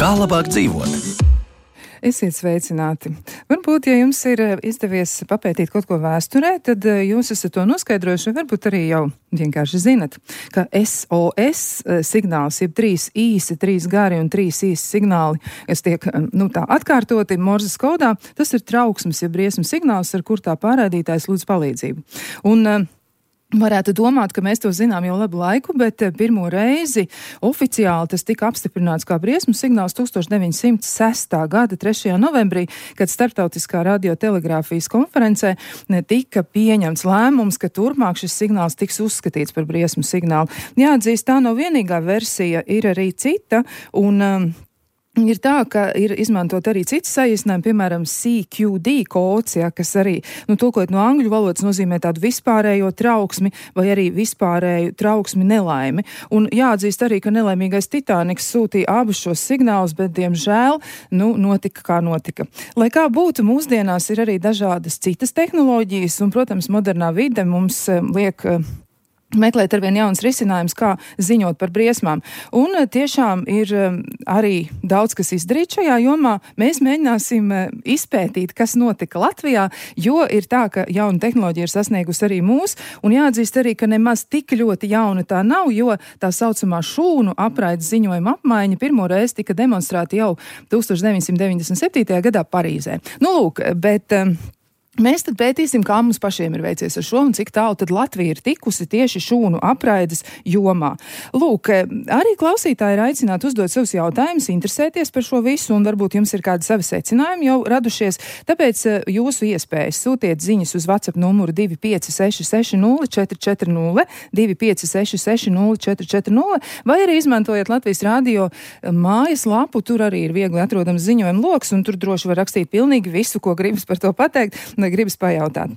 Kā labāk dzīvot? Esiet sveicināti. Varbūt, ja jums ir izdevies papētīt kaut ko vēsturē, tad jūs esat to noskaidrojuši, varbūt arī jau vienkārši zinat, ka SOS signāls, jeb 3 īsi, 3 gari un 3 īsi signāli, kas tiek, tā atkārtoti Morzes kodā, tas ir trauksmes, jeb briesmu signāls, ar kur tā pārraidītājs lūdz palīdzību. Un varētu domāt, ka mēs to zinām jau labu laiku, bet pirmo reizi oficiāli tas tika apstiprināts kā briesmu signāls 1906. gada 3. novembrī, kad starptautiskā radiotelegrāfijas konferencē tika pieņemts lēmums, ka turpmāk šis signāls tiks uzskatīts par briesmu signālu. Jāatzīst, tā nav vienīgā versija, ir arī cita, un ir tā, ka ir izmantot arī citas saīsinājumi, piemēram, CQD kods, kas arī, tulkojot no angļu valodas, nozīmē tādu vispārējo trauksmi vai arī vispārēju trauksmi nelaimi. Un jāatzīst arī, ka nelaimīgais Titaniks sūtīja abus šos signālus, bet, diemžēl, notika kā notika. Lai kā būtu, mūsdienās ir arī dažādas citas tehnoloģijas, un, protams, modernā vide mums liek meklēt arvien jauns risinājums, kā ziņot par briesmām. Un tiešām ir arī daudz, kas izdarīt šajā jomā. Mēs mēģināsim izpētīt, kas notika Latvijā, jo ir tā, ka jauna tehnoloģija ir sasniegusi arī mūs, un jāatzīst arī, ka nemaz tik ļoti jauna tā nav, jo tā saucamā šūnu apraides ziņojuma apmaiņa pirmo reizi tika demonstrēta jau 1997. gadā Parīzē. Bet mēs tad pētīsim, kā mums pašiem ir veicies ar šo un cik tālu tad Latvija ir tikusi tieši šūnu apraides jomā. Arī klausītāji ir aicināti uzdot savus jautājumus, interesēties par šo visu, un varbūt jums ir kādi savi secinājumi jau radušies, tāpēc jūsu iespējas sūtiet ziņas uz WhatsApp numuru 25660440, 25660440, vai arī izmantojiet Latvijas radio mājas lapu, tur arī ir viegli atrodams ziņojuma loks, un tur droši var rakstīt pilnīgi visu, ko gribas par to pateikt, gribas pajautāt.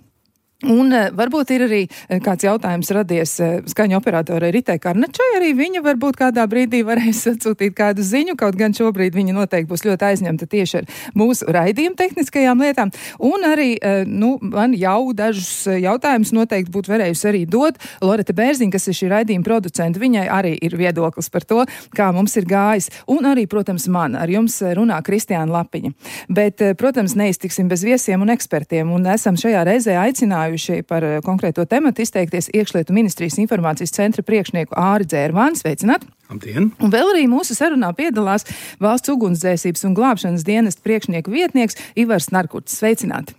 Un varbūt ir arī kāds jautājums radies skaņu operatorai Ritai Karnačai, arī viņa varbūt kādā brīdī varēs atsūtīt kādu ziņu, kaut gan šobrīd viņa noteikti būs ļoti aizņemta tieši ar mūsu raidījumu tehniskajām lietām, un arī, man jau dažus jautājumus noteikti būtu varējusi arī dot Loreta Bērziņa, kas ir šī raidījuma producenta, viņai arī ir viedoklis par to, kā mums ir gājis, un arī, protams, man, ar jums runā Kristiāna Lapiņa. Bet, protams, neiztiksim bez viesiem un ekspertiem, un esam šajā reizē aicinājuši par konkrēto tematu izteikties Iekšlietu ministrijas informācijas centra priekšnieku Āri Dzērvāni. Sveicināt! Labdien! Un vēl arī mūsu sarunā piedalās Valsts ugunsdzēsības un glābšanas dienesta priekšnieku vietnieks Ivars Narkurts. Sveicināti!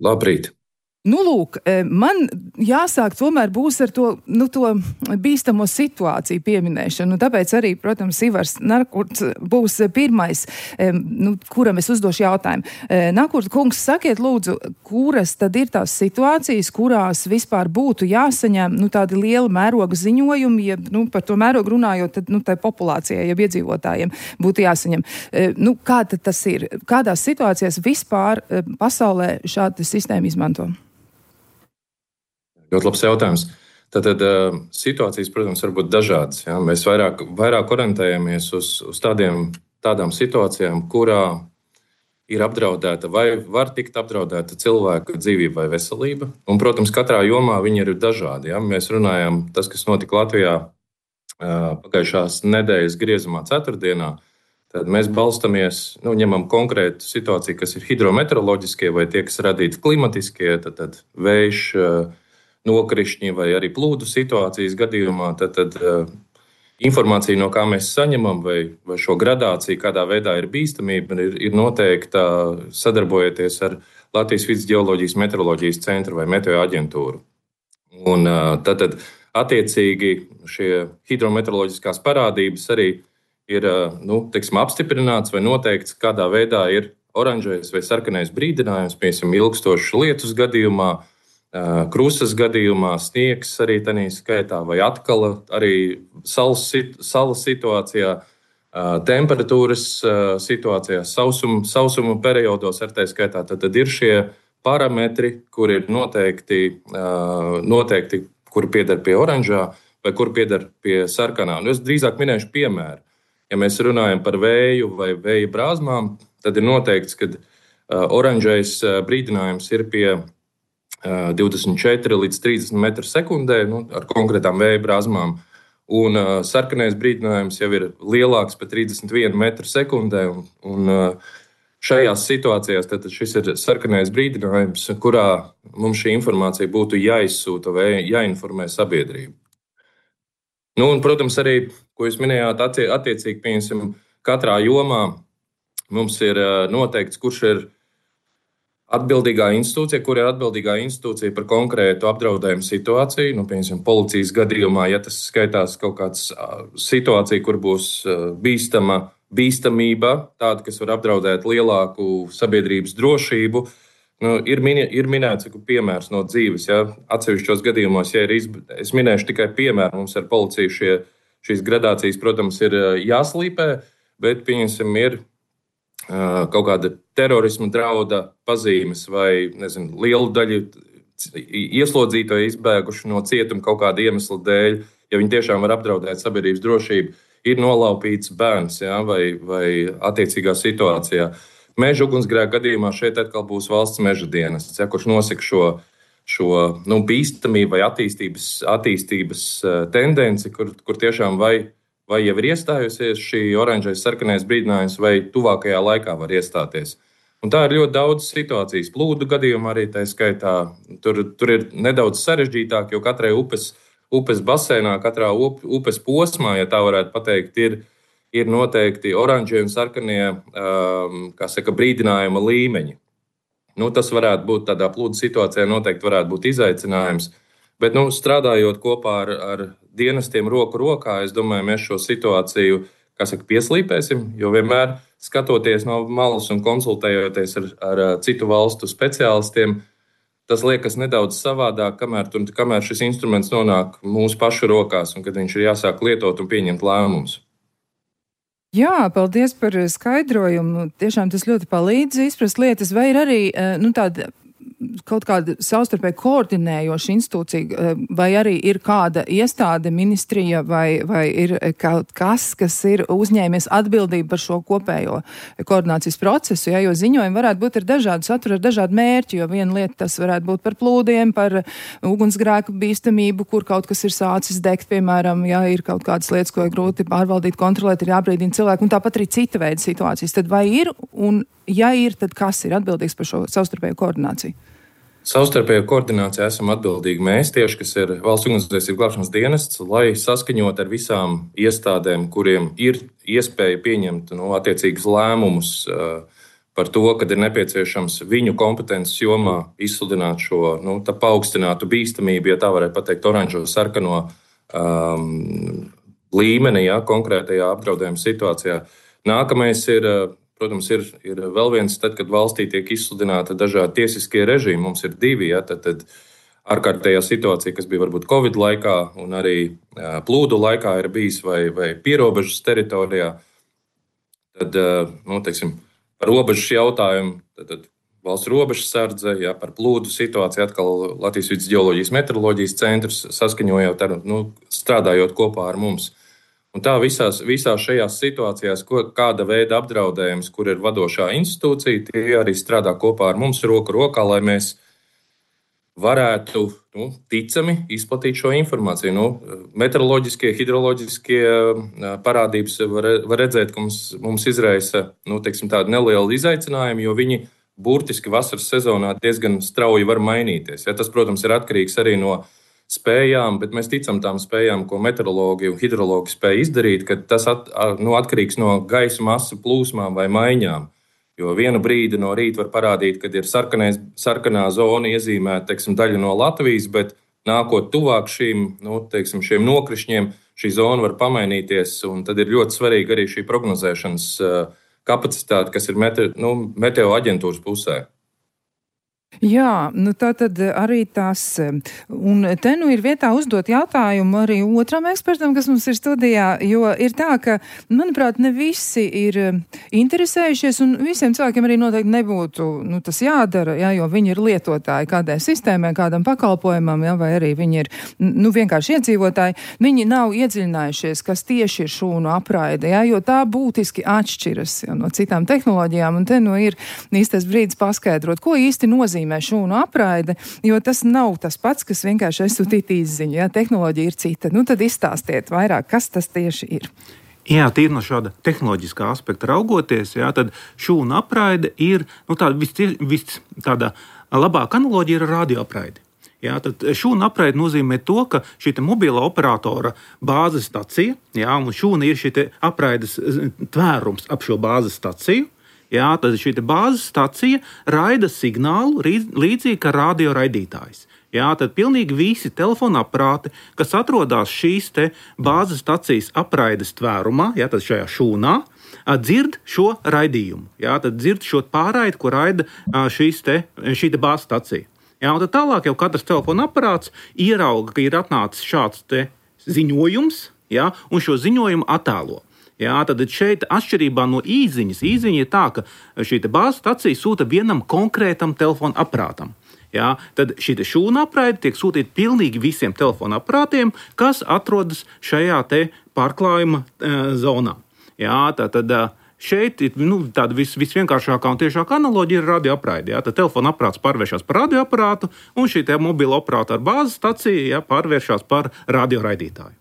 Labrīt! Man jāsāk tomēr būs ar to bīstamo situāciju pieminēšanu. Tāpēc arī, protams, Ivars Narkurts būs pirmais, kuram es uzdošu jautājumu. Narkurts kungs, sakiet lūdzu, kuras tad ir tās situācijas, kurās vispār būtu jāsaņem tādi liela mēroga ziņojumi, ja par to mērogu runājot, tad tai populācijai, ja iedzīvotājiem būtu jāsaņem. Kā tad tas ir? Kādās situācijās vispār pasaulē šāda sistēma izmanto? Ļoti labs jautājums. Tātad situācijas, protams, var būt dažādas. Ja? Mēs vairāk orientējamies uz tādām situācijām, kurā ir apdraudēta vai var tikt apdraudēta cilvēka dzīvība vai veselība. Un, protams, katrā jomā viņi ir dažādi. Ja? Mēs runājam, tas, kas notika Latvijā pagājušās nedēļas griezumā ceturtdienā, tad mēs balstamies, ņemam konkrētu situāciju, kas ir hidrometeoroloģiskie vai tie, kas radīti klimatiskie, tad vējš, nokrišņi vai arī plūdu situācijas gadījumā, tad informācija, no kā mēs saņemam, vai šo gradāciju, kādā veidā ir bīstamība, ir noteikta sadarbojoties ar Latvijas Vides geoloģijas meteoroloģijas centru vai meteo aģentūru. Un tad attiecīgi šie hidrometeoroloģiskās parādības arī ir apstiprināts vai noteikts, kādā veidā ir oranžais vai sarkanais brīdinājums, piemēram, ilgstošas lietus gadījumā, krusas gadījumā, sniegs arī tādā skaitā, vai atkal arī salas situācijā, temperatūras situācijā, sausuma periodos, ar tā skaitā. Tad ir šie parametri, kur ir noteikti, kuri pieder pie oranžā vai kuri pieder pie sarkanā. Es drīzāk minēšu piemēru. Ja mēs runājam par vēju vai vēja brāzmām, tad ir noteikts, ka oranžais brīdinājums ir pie 24 līdz 30 metru sekundē ar konkrētām vēja brāzmām. un sarkanais brīdinājums jau ir lielāks par 31 metru sekundē. Šajās situācijās tad šis ir sarkanais brīdinājums, kurā mums šī informācija būtu jāizsūta vai jāinformē sabiedrību. Protams, arī, ko jūs minējāt, attiecīgi, pieņemsim, katrā jomā mums ir noteikts, kurš ir atbildīgā institūcija, kur ir atbildīgā institūcija par konkrētu apdraudējumu situāciju. Piemēram, policijas gadījumā, ja tas skaitās kaut kāds situācija, kur būs bīstamība, tāda, kas var apdraudēt lielāku sabiedrības drošību, ir minēts piemērs no dzīves. Ja? Atsevišķos gadījumos, ja es minēšu tikai piemēru, mums ar policiju šīs gradācijas, protams, ir jāslīpē, bet, pieņemsim, ir kaut kāda terorisma drauda pazīmes vai, lielu daļu ieslodzīto izbēguši no cietuma kaut kāda iemesla dēļ, ja viņi tiešām var apdraudēt sabiedrības drošību, ir nolaupīts bērns, ja, vai attiecīgā situācijā. Meža ugunsgrēka gadījumā šeit atkal būs valsts meža dienests, ja, kurš nosaka šo bīstamību vai attīstības tendenci, kur tiešām vai jau ir iestājusies šī oranžais sarkanais brīdinājums, vai tuvākajā laikā var iestāties. Un tā ir ļoti daudz situācijas. Plūdu gadījumā arī tā skaitā. Tur ir nedaudz sarežģītāk, jo katrai upes basēnā, katrā upes posmā, ja tā varētu pateikt, ir noteikti oranžie un sarkanie brīdinājuma līmeņi. Tas varētu būt tādā plūdu situācijā, noteikti varētu būt izaicinājums. Bet strādājot kopā ar dienestiem roku rokā, es domāju, mēs šo situāciju pieslīpēsim, jo vienmēr skatoties no malas un konsultējoties ar citu valstu speciālistiem, tas liekas nedaudz savādāk, kamēr šis instruments nonāk mūsu pašu rokās un kad viņš ir jāsāk lietot un pieņemt lēmumus. Jā, paldies par skaidrojumu. Tiešām tas ļoti palīdz izprast lietas, vai ir arī tāda kaut kāda savstarpēji koordinējoša institūcija, vai arī ir kāda iestāde, ministrija, vai ir kaut kas ir uzņēmies atbildību par šo kopējo koordinācijas procesu, jo ziņojumi varētu būt ar dažādu saturu, ar dažādu mērķi, jo viena lieta tas varētu būt par plūdiem, par ugunsgrēku bīstamību, kur kaut kas ir sācis degt, piemēram, ja ir kaut kādas lietas, ko ir grūti pārvaldīt, kontrolēt, ir jābrīdina cilvēku, un tāpat arī cita veida situācijas. Tad vai ir, un ja ir, tad kas ir atbildīgs par šo savstarpējo koordināciju? Savstarpējo koordināciju esam atbildīgi mēs tieši, kas ir Valsts ugunsdzēsības glābšanas dienests, lai saskaņot ar visām iestādēm, kuriem ir iespēja pieņemt attiecīgus lēmumus par to, kad ir nepieciešams viņu kompetences jomā izsludināt šo paaugstinātu bīstamību, ja tā varētu pateikt, oranžo sarkano līmeni, ja, konkrētajā apdraudējuma situācijā. Nākamais protams, ir vēl viens, tad, kad valstī tiek izsludināta dažādi tiesiskie režīmi. Mums ir divi, ja, tad ārkārtējā situācija, kas bija varbūt Covid laikā un arī plūdu laikā ir bijis vai pierobežas teritorijā. Tad, par robežas jautājumu, tad valsts robežsardze, ja, par plūdu situāciju atkal Latvijas Vides ģeoloģijas meteoroloģijas centrs saskaņojot, strādājot kopā ar mums. Un tā visās šajās situācijās, kāda veida apdraudējums, kur ir vadošā institūcija, tie arī strādā kopā ar mums roku rokā, lai mēs varētu ticami izplatīt šo informāciju. Meteoroloģiskie, hidroloģiskie parādības var redzēt, ka mums izraisa tādu nelielu izaicinājumu, jo viņi burtiski vasaras sezonā diezgan strauji var mainīties. Ja, tas, protams, ir atkarīgs arī no spējām, bet mēs ticam tām spējām, ko meteorologi un hidrologi spēj izdarīt, ka tas atkarīgs no gaisa masu plūsmām vai maiņām. Jo vienu brīdi no rīta var parādīt, kad ir sarkanā zona iezīmēta daļa no Latvijas, bet nākot tuvāk šiem nokrišņiem, šī zona var pamainīties, un tad ir ļoti svarīga arī šī prognozēšanas kapacitāte, kas ir meteo aģentūras pusē. Jā, tā tad arī tas, un te ir vietā uzdot jautājumu arī otram ekspertam, kas mums ir studijā, jo ir tā, ka, manuprāt, ne visi ir interesējušies, un visiem cilvēkiem arī noteikti nebūtu tas jādara, jo viņi ir lietotāji kādai sistēmai, kādam pakalpojumam, vai arī viņi ir vienkārši iedzīvotāji. Viņi nav iedziļinājušies, kas tieši ir šūnu apraide, jo tā būtiski atšķiras no citām tehnoloģijām, un te ir īstais brīdis paskaidrot, ko īsti nozīmē nozīmē šūnu apraide, jo tas nav tas pats, kas vienkārši aizsūtīt izziņu, ja tehnoloģija ir cita. Nu, tad izstāstiet vairāk, kas tas tieši ir. Jā, tīri no šāda tehnoloģiskā aspekta raugoties, jā, tad šūnu apraide ir tāda labāka analoģija ir radioapraide. Jā, tad šūnu apraide nozīmē to, ka šī mobila operatora bāzes stacija, jā, un šūna ir šī apraides tvērums ap šo bāzes staciju. Jā, tad šī bāzes stacija raida signālu līdzīgi kā radioraidītājs. Jā, tad pilnīgi visi telefona aparāti, kas atrodas šīs bāzes stacijas apraides tvērumā, jā, tad šajā šūnā, dzird šo raidījumu. Jā, tad dzird šo pārraidi, ko raida šī bāzes stacija. Jā, un tad tālāk jau katrs telefona aparāts ierauga, ka ir atnācis šāds ziņojums, jā, un šo ziņojumu attēlo. Jā, tad šeit atšķirībā no īziņas ir tā, ka šī bāzes stacija sūta vienam konkrētam telefona aparātam. Jā, tad šī šūna apraide tiek sūtīta pilnīgi visiem telefona aparātiem, kas atrodas šajā pārklājuma zonā. Jā, tad šeit ir tāda visvienkāršākā un tiešākā analoģija ir radioapraide. Tad telefona aparāts pārvēršas par radioaparātu, un šī mobila operatora bāzes stacija pārvēršas par radioraidītāju.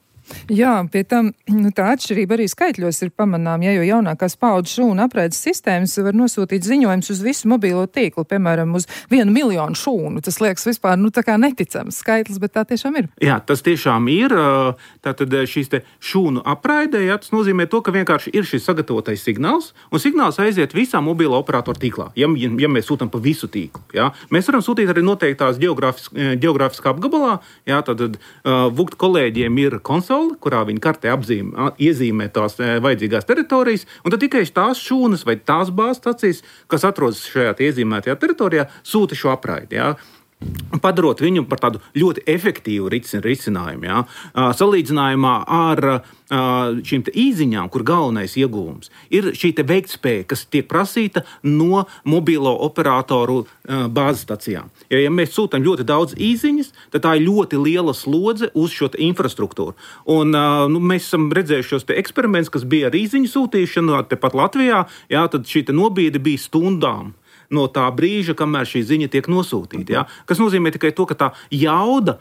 Jā, pie tam tā atšķirība arī skaitļos ir pamanām, jo jaunākās paaudzes šūnu apraides sistēmas var nosūtīt ziņojumus uz visu mobilo tīklu, piemēram, uz 1 miljonu šūnu. Tas liekas vispār tā kā neticams skaitlis, bet tā tiešām ir. Jā, tas tiešām ir. Tātad šīs šūnu apraidē, jā, tas nozīmē to, ka vienkārši ir šis sagatavotais signāls, un signāls aiziet visā mobilo operatoru tīklā, ja mēs sūtam pa visu tīklu. Jā. Mēs varam sūtīt arī noteiktās geogrāfiskā apgabalā, jā, tad VUCT kolēģiem ir konsole, kurā viņi kartē iezīmē tās vajadzīgās teritorijas, un tad tikai tās šūnas vai tās bāzes stacijas, kas atrodas šajā iezīmētajā teritorijā, sūta šo apraidi. Jā. Padarot viņu par tādu ļoti efektīvu risinājumu. Jā. Salīdzinājumā ar šīm īziņām, kur galvenais ieguvums ir šī veiktspēja, kas tiek prasīta no mobilo operatoru bāzes stacijām. Ja mēs sūtām ļoti daudz īziņas, tad tā ir ļoti liela slodze uz šo infrastruktūru. Un, mēs esam redzējuši šos eksperimentus, kas bija ar īziņu sūtīšanu tepat Latvijā, jā, tad šī nobīde bija stundām no tā brīža, kamēr šī ziņa tiek nosūtīta. Ja? Kas nozīmē tikai to, ka tā jauda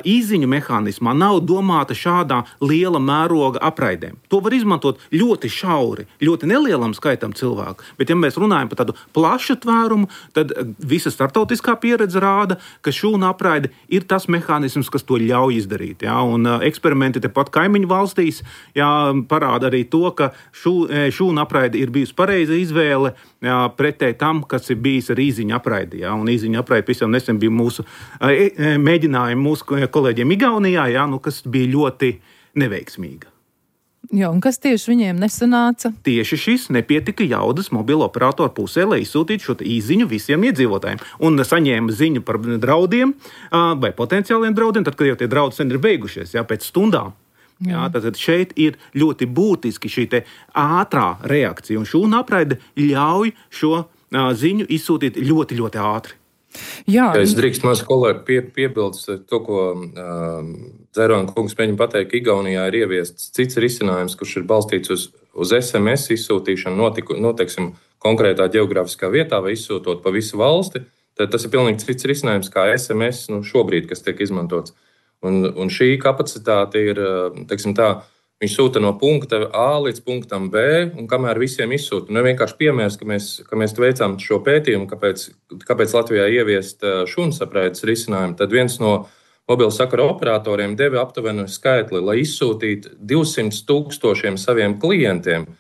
izziņu mehānismā nav domāta šādā liela mēroga apraidēm. To var izmantot ļoti šauri, ļoti nelielam skaitam cilvēku, bet ja mēs runājam par tādu plašu tvērumu, tad visa startautiskā pieredze rāda, ka šūna apraide ir tas mehānisms, kas to ļauj izdarīt. Ja? Un eksperimenti tepat kaimiņu valstīs parāda arī to, ka šūna apraide ir bijusi pareiza izvēle pretēji tam, kas ir bijis ar īziņu apraidi. Ja? Un īziņu apraidi pavisam nesen bija mūsu mēģinājumi mūsu kolēģiem Igaunijā, kas bija ļoti neveiksmīga. Jā, un kas tieši viņiem nesanāca? Tieši šis nepietika jaudas mobilo operatoru pusē, lai izsūtītu šo īziņu visiem iedzīvotājiem. Un saņēma ziņu par draudiem vai potenciāliem draudiem, tad, kad jau tie draudi sen ir beigušies, pēc stundām. Jā, tad šeit ir ļoti būtiski šī ātrā reakcija, un šūna apraide ļauj šo ziņu izsūtīt ļoti, ļoti ātri. Jā. Es drīkst maz kolēģi piebilst to, ko Dzērona kungs mēģina pateikt, ka Igaunijā ir ieviests cits risinājums, kurš ir balstīts uz SMS izsūtīšanu, noteiksim, konkrētā geogrāfiskā vietā vai izsūtot pa visu valsti. Tad tas ir pilnīgi cits risinājums kā SMS šobrīd, kas tiek izmantots. Un šī kapacitāte ir, teiksim tā, viņš sūta no punkta A līdz punktam B, un kamēr visiem izsūta. Vienkārši piemērs, ka mēs veicām šo pētījumu, kāpēc Latvijā ieviest šūnas apraides risinājumu, tad viens no mobila sakara operatoriem deva aptuveni skaitli, lai izsūtītu 200,000 saviem klientiem,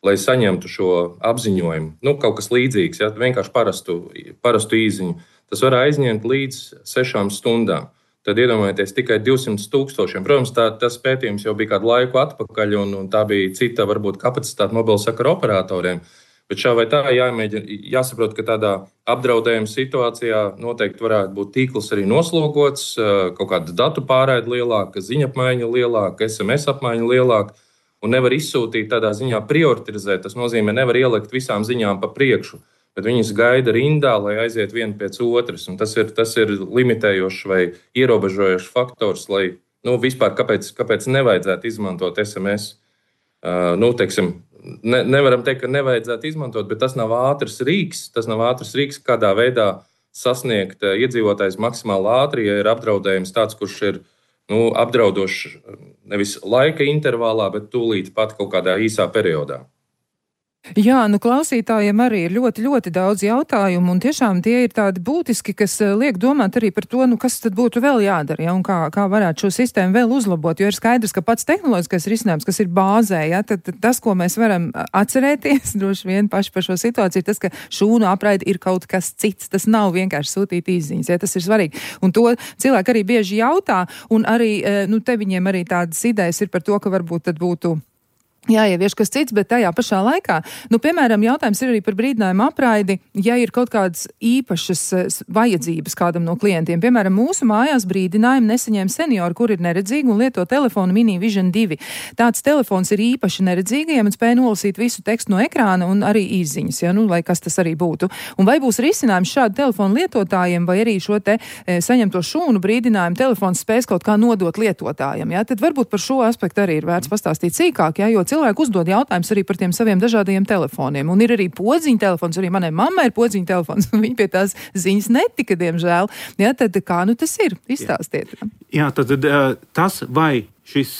lai saņemtu šo apziņojumu. Kaut kas līdzīgs, vienkārši parastu īziņu. Tas var aizņemt līdz 6 stundām. Tad iedomājieties tikai 200,000. Protams, tas pētījums jau bija kādu laiku atpakaļ, un tā bija cita, varbūt, kapacitāte mobila sakara operatoriem. Bet šā vai tā jāsaprot, ka tādā apdraudējuma situācijā noteikti varētu būt tīkls arī noslogots, kaut kāda datu pārraide lielāka, ziņa apmaiņa lielāka, SMS apmaiņa lielāka, un nevar izsūtīt tādā ziņā prioritizēt. Tas nozīmē, nevar ielikt visām ziņām pa priekšu, bet viņas gaida rindā, lai aiziet viena pēc otras. Un tas ir limitējošs vai ierobežojošs faktors, lai vispār kāpēc nevajadzētu izmantot SMS. Nevaram teikt, ka nevajadzētu izmantot, bet tas nav ātrs rīks. Tas nav ātrs rīks, kādā veidā sasniegt iedzīvotājs maksimāli ātri, ja ir apdraudējums tāds, kurš ir apdraudošs nevis laika intervālā, bet tūlīt pat kaut kādā īsā periodā. Jā, klausītājiem arī ir ļoti, ļoti daudz jautājumu, un tiešām tie ir tādi būtiski, kas liek domāt arī par to, kas tad būtu vēl jādara, ja, un kā varētu šo sistēmu vēl uzlabot, jo ir skaidrs, ka pats tehnoloģiskais risinājums, kas ir bāzē, ja, tad tas, ko mēs varam atcerēties, droši vien paši par šo situāciju, ir tas, ka šūnu apraide ir kaut kas cits, tas nav vienkārši sūtīt izziņas, ja, tas ir svarīgi, un to cilvēki arī bieži jautā, un arī, te viņiem arī tādas idejas ir par to, ka varbūt tad būtu jāievieš kas cits, bet tajā pašā laikā, piemēram, jautājums ir arī par brīdinājumu apraidi, ja ir kaut kādas īpašas vajadzības kādam no klientiem. Piemēram, mūsu mājās brīdinājumu nesaņēma seniori, kur ir neredzīgi un lieto telefonu Mini Vision 2. Tāds telefons ir īpaši neredzīgajiem un spēj nolasīt visu tekstu no ekrāna un arī izziņas, ja, lai kas tas arī būtu. Un vai būs risinājums šādu telefonu lietotājiem, vai arī šo te saņemto šūnu brīdinājumu telefons spēs kaut kā nodot lietotājiem, ja? Tad varbūt par šo aspektu arī ir vērts pastāstīt sīkāk, ja, jo cilvēki uzdod jautājumus arī par tiem saviem dažādajiem telefoniem. Un ir arī podziņa telefons, arī manai mammai ir podziņa telefons, un viņa pie tās ziņas netika, diemžēl. Ja, tad kā tas ir? Izstāstiet. Jā, tad tas, vai šis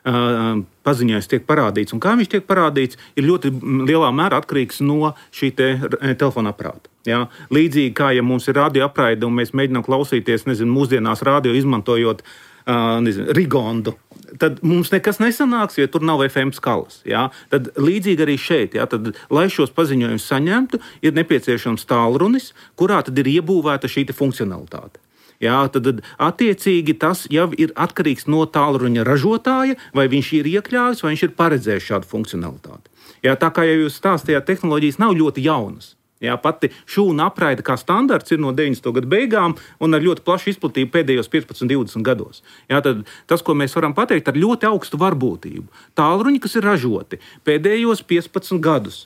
paziņojums tiek parādīts un kā viņš tiek parādīts, ir ļoti lielā mērā atkarīgs no šī telefona aparāta. Jā. Līdzīgi kā, ja mums ir radio apraide un mēs mēģinām klausīties, mūsdienās radio izmantojot Rigondu, tad mums nekas nesanāks, ja tur nav FM skalas. Jā. Tad līdzīgi arī šeit, jā, tad, lai šos paziņojumus saņemtu, ir nepieciešams tālrunis, kurā tad ir iebūvēta šī funkcionalitāte. Jā, tad attiecīgi tas jau ir atkarīgs no tālruņa ražotāja, vai viņš ir iekļāvis, vai viņš ir paredzējis šādu funkcionalitāti. Jā, tā kā jau jūs stāstījāt, tehnoloģijas nav ļoti jaunas. Jā, pati šūna apraide kā standarts ir no 90. gadu beigām un ar ļoti plašu izplatību pēdējos 15-20 gados. Jā, tad tas, ko mēs varam pateikt, ar ļoti augstu varbūtību. Tālruņi, kas ir ražoti pēdējos 15 gadus,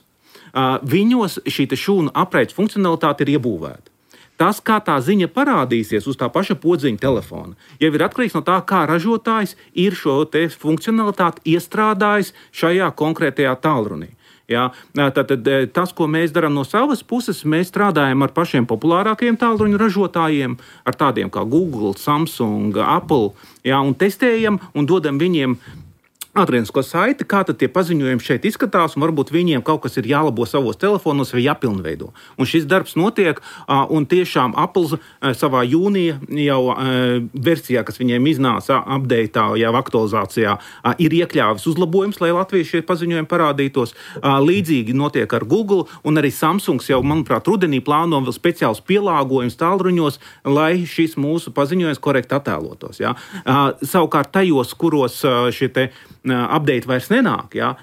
viņos šī šūna apraides funkcionalitāte ir iebūvēta. Tas, kā tā ziņa parādīsies uz tā paša podziņa telefona, jau ir atkarīgs no tā, kā ražotājs ir šo funkcionalitāti iestrādājis šajā konkrētajā tālrunī. Jā, tātad tas, ko mēs darām no savas puses, mēs strādājam ar pašiem populārākajiem tālruņu ražotājiem, ar tādiem kā Google, Samsung, Apple, jā, un testējam un dodam viņiem adrēnisko saiti, kā tad tie paziņojumi šeit izskatās, un varbūt viņiem kaut kas ir jālabo savos telefonos vai jāpilnveido. Un šis darbs notiek, un tiešām Apple savā jūnija jau versijā, kas viņiem iznāca updateā, jau aktualizācijā, ir iekļāvis uzlabojums, lai Latvijas šie paziņojumi parādītos. Līdzīgi notiek ar Google, un arī Samsungs jau, manuprāt, rudenī plāno vēl speciāls pielāgojums tālruņos, lai šis mūsu paziņojums korekti attēlotos. Ja? Savukārt tajos, kuros šie update vairs nenāk, ja?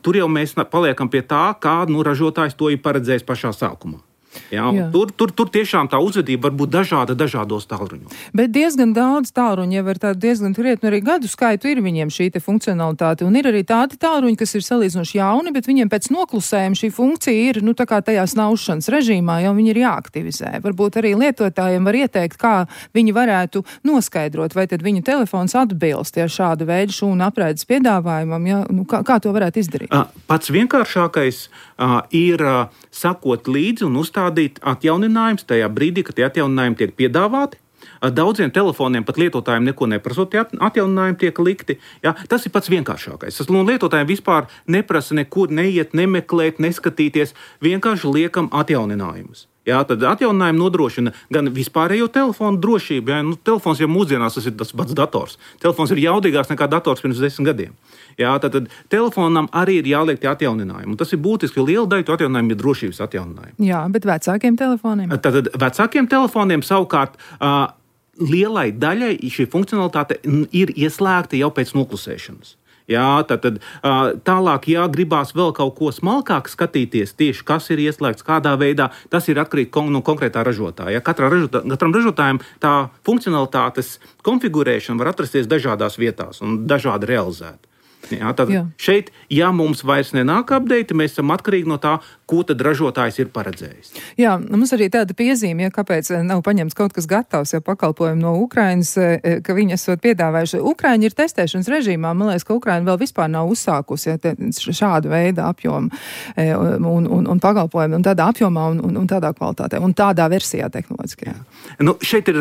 Tur jau mēs paliekam pie tā, kā ražotājs to ir paredzējis pašā sākumā. Jā, tur tiešām tā uzvedība var būt dažāda dažādos tālruņos. Bet diezgan daudz tālruņu jau ar tādu diezgan krietnu arī gadu skaitu ir viņiem šī te funkcionalitāte. Un ir arī tādi tālruņi, kas ir salīdzinoši jauni, bet viņiem pēc noklusējuma šī funkcija ir, tā kā tajā snaušanas režīmā, jau viņi ir jāaktivizē. Varbūt arī lietotājiem var ieteikt, kā viņi varētu noskaidrot, vai tad viņu telefons atbilst šāda veida šūnu apraides piedāvājumam, ja? Kā to varētu izdarīt? Pats vienkāršākais ir sakot līdzi un uzstādīt atjauninājums tajā brīdī, kad tie atjauninājumi tiek piedāvāti. Daudziem telefoniem pat lietotājiem neko neprasot, tie atjauninājumi tiek likti. Ja? Tas ir pats vienkāršākais. Tas lietotājiem vispār neprasa nekur neiet, nemeklēt, neskatīties, vienkārši liekam atjauninājumus. Jā, tad atjauninājumi nodrošina gan vispārējo telefonu drošību. Jā, telefons jau mūsdienās tas ir tas pats dators. Telefons ir jaudīgāks nekā dators pirms 10 gadiem. Jā, tad telefonam arī ir jāliek tie atjauninājumi. Un tas ir būtiski, jo liela daļa atjauninājumi ir drošības atjauninājumi. Jā, bet vecākiem telefoniem? Tad vecākiem telefoniem savukārt lielai daļai šī funkcionalitāte ir ieslēgta jau pēc noklusēšanas. Jā, tad tālāk, ja gribās vēl kaut ko smalkāk skatīties, tieši kas ir ieslēgts, kādā veidā, tas ir atkarīgi no konkrētā ražotāja. Katram ražotājam tā funkcionalitātes konfigurēšana var atrasties dažādās vietās un dažādi realizēta. Jā, tad šeit, ja mums vairs nenāk update, mēs esam atkarīgi no tā, ko tad ražotājs ir paredzējis. Jā, mums arī tāda piezīme, kāpēc nav paņemts kaut kas gatavs, ja pakalpojumi no Ukrainas, ka viņi esot piedāvājuši. Ukraiņi ir testēšanas režīmā, man liekas, ka Ukraina vēl vispār nav uzsākusi šādu veidu apjomu un pakalpojumu un tādā apjomā un tādā kvalitātē un tādā versijā tehnoloģiskajā. Nu, šeit ir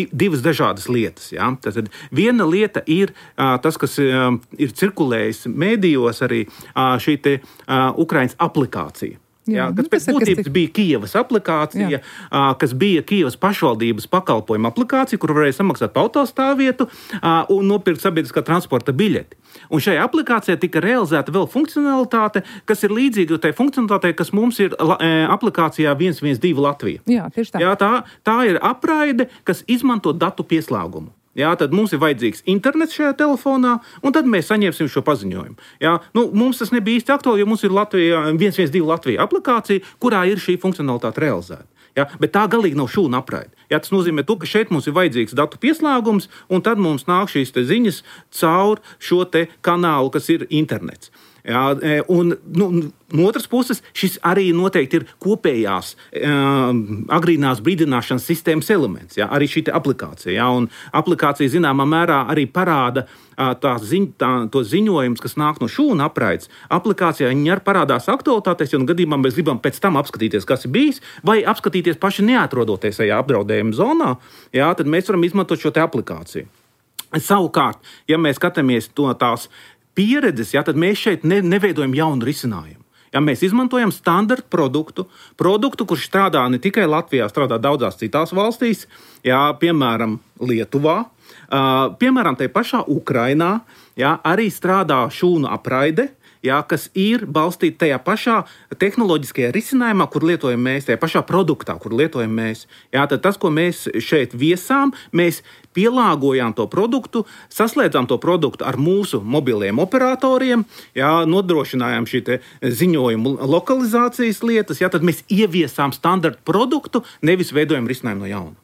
divas dažādas lietas. Ja? Tātad viena lieta ir tas, kas ir cirkulējis mēdījos arī šī te Ukrainas aplikācija. Jā, kas pēc būtības bija Kijevas aplikācija, kas bija Kijevas pašvaldības pakalpojuma aplikācija, kur varēja samaksāt par autostāvvietu un nopirkt sabiedriskā transporta biļeti. Un šajā aplikācijā tika realizēta vēl funkcionalitāte, kas ir līdzīga tai funkcionalitātei, kas mums ir aplikācijā 112 Latvija. Jā, tieši tā. Jā, tā ir apraide, kas izmanto datu pieslēgumu. Jā, tad mums ir vajadzīgs internets šajā telefonā, un tad mēs saņemsim šo paziņojumu. Jā, mums tas nebija īsti aktuāli, jo mums ir 112 Latvija aplikācija, kurā ir šī funkcionalitāte realizēta. Jā, bet tā galīgi nav šūna apraide. Jā, tas nozīmē to, ka šeit mums ir vajadzīgs datu pieslēgums, un tad mums nāk šīs te ziņas caur šo te kanālu, kas ir internets. Jā, un no otras puses, šis arī noteikti ir kopējās agrīnās brīdināšanas sistēmas elements, jā, arī šī aplikācija. Jā, un aplikācija zināmā mērā arī parāda to ziņojumus, kas nāk no šūna apraides. Aplikācijā viņi arī parādās aktualitātēs, jo gadījumā mēs gribam pēc tam apskatīties, kas ir bijis, vai apskatīties paši neatrodoties tajā apdraudējuma zonā, jā, tad mēs varam izmantot šo te aplikāciju. Savukārt, ja mēs skatāmies to tās pieredzes, jā, tad mēs šeit neveidojam jaunu risinājumu. Ja mēs izmantojam standarta produktu, kurš strādā ne tikai Latvijā, strādā daudzās citās valstīs, jā, piemēram, Lietuvā, piemēram, tajā pašā Ukrainā, jā, arī strādā šūnu apraide, jā, kas ir balstīta tajā pašā tehnoloģiskajā risinājumā, kur lietojam mēs, tajā pašā produktā, kur lietojam mēs. Jā, tad tas, ko mēs šeit viesām, mēs pielāgojām to produktu, saslēdzām to produktu ar mūsu mobiliem operatoriem, jā, nodrošinājām šī te ziņojumu lokalizācijas lietas, jā, tad mēs ieviesām standarta produktu, nevis veidojam risinājumu no jauna.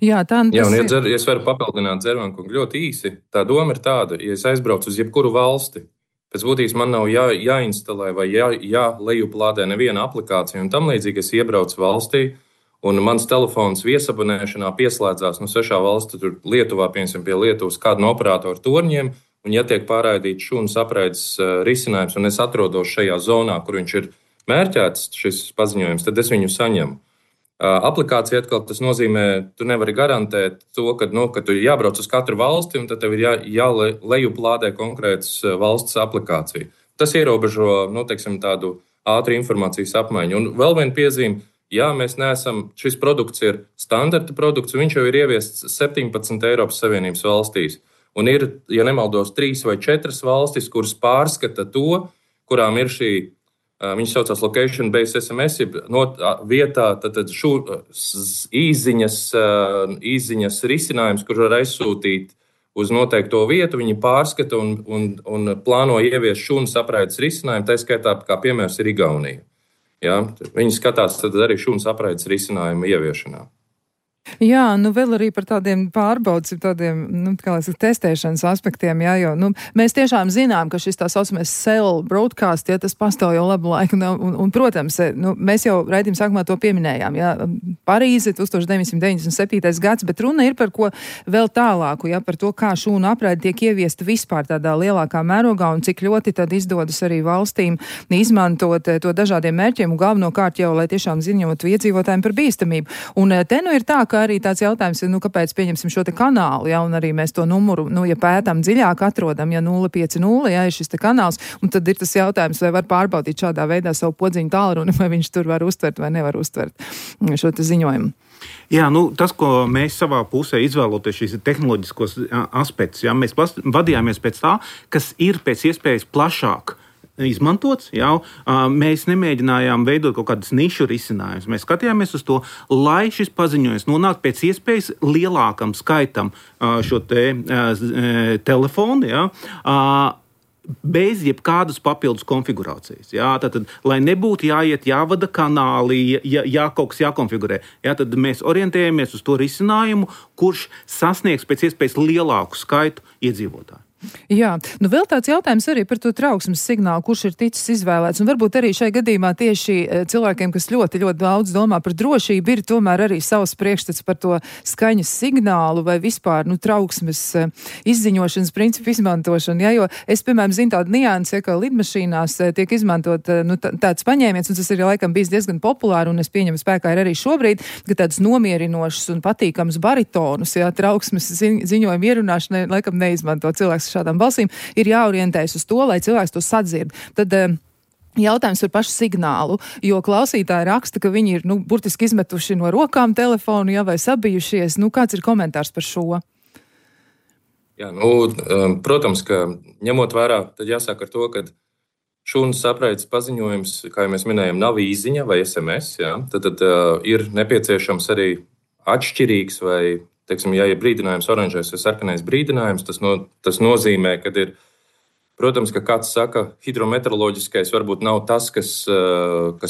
Jā, ja es varu papildināt Dzervankungu ļoti īsi, tā doma ir tāda, ja es aizbraucu uz jebkuru valsti, pēc būtības man nav jāinstalē vai jālejuplādē neviena aplikācija un tam līdzīgi es iebraucu valstī, un mans telefons viesabonēšanā pieslēdzās no svešā valsts, tur Lietuvā, piemēram, pie Lietuvas kādu no operatoru torņiem, un ja tiek pārraidīts šūnas apraides risinājums, un es atrodos šajā zonā, kur viņš ir mērķēts, šis paziņojums, tad es viņu saņemu. Aplikācija atkal tas nozīmē, tu nevari garantēt to, ka tu jābrauc uz katru valsti, un tad tev ir jālejuplādē konkrētas valsts aplikācija. Tas ierobežo, teiksim, tādu ātru informācijas apmaiņu. Un vēl viena piezīme. Jā, mēs neesam, šis produkts ir standarta produkts, un viņš jau ir ieviests 17 Eiropas Savienības valstīs. Un ir, ja nemaldos, 3 vai 4 valstis, kuras pārskata to, kurām ir šī, viņš saucās location-based SMS, vietā tad īziņas risinājums, kur var aizsūtīt uz noteikto vietu, viņi pārskata un plāno ieviest šūnas apraides risinājumu, tā skaitā, kā piemērs ir Igaunija. Ja? Viņi skatās arī šūnas apraides risinājumu ieviešanā. Jā, vēl arī par tādiem pārbaudas, tādiem, testēšanas aspektiem, jā, jo, mēs tiešām zinām, ka šis tā saucamais cell broadcast, ja tas pastāv jau labu laiku, un protams, mēs jau raidījuma sākumā to pieminējām, jā, Parīze, 1997. gads, bet runa ir par ko vēl tālāku, jā, par to, kā šūnu apraide tiek ieviesta vispār tādā lielākā mērogā, un cik ļoti tad izdodas arī valstīm izmantot to dažādiem mērķiem, un galvenokārt jau, lai tiešām ziņotu iedzīvotājiem par bīstamību. Un te ir tā, ka arī tāds jautājums ir, kāpēc pieņemsim šo te kanālu, ja, un arī mēs to numuru, ja pētām dziļāk atrodam, ja 050, ja ir šis te kanāls, un tad ir tas jautājums, vai var pārbaudīt šādā veidā savu podziņu tālruni, vai viņš tur var uztvert vai nevar uztvert šo te ziņojumu. Jā, tas, ko mēs savā pusē izvēloties šīs tehnoloģiskos aspektus, jā, mēs vadījāmies pēc tā, kas ir pēc iespējas plašāk izmantots, jau mēs nemēģinājām veidot kaut kādas nišu risinājumus. Mēs skatījāmies uz to, lai šis paziņojums nonāk pēc iespējas lielākam skaitam šo telefonu, ja, bez jebkādas papildus konfigurācijas. Jā, tad, lai nebūtu jāvada kanāli, kaut kas jākonfigurē. Jā, tad mēs orientējamies uz to risinājumu, kurš sasniegs pēc iespējas lielāku skaitu iedzīvotāju. Jā, nu vēl tāds jautājums arī par to trauksmes signālu, kurš ir ticis izvēlēts, un varbūt arī šai gadījumā tieši cilvēkiem, kas ļoti, ļoti daudz domā par drošību, ir tomēr arī savs priekšstats par to skaņas signālu vai vispār, trauksmes izziņošanas principu izmantošanu, ja, jo es, piemēram, zinu tādu niansi, ka lidmašīnās tiek izmantot, tāds paņēmiens, un tas ir laikam bijis diezgan populāri, un es pieņemu spēkā ir arī šobrīd, ka tāds nomierinošs un patīkams baritonus, ja, trauksmes ziņojumu ierunāšanai laikam neizmanto cilvēks šādām balsīm, ir jāorientējas uz to, lai cilvēks to sadzird. Tad jautājums par pašu signālu, jo klausītāji raksta, ka viņi ir, burtiski izmetuši no rokām telefonu, ja, vai sabijušies. Kāds ir komentārs par šo? Jā, protams, ka ņemot vērā, tad jāsāk ar to, ka šūnas apraides paziņojums, kā jau mēs minējam, nav īziņa vai SMS, jā, tad ir nepieciešams arī atšķirīgs vai teiksim, ja ir brīdinājums oranžais vai sarkanais brīdinājums, tas nozīmē, ka ir, protams, ka kāds saka, hidrometeoroloģiskais varbūt nav tas, kas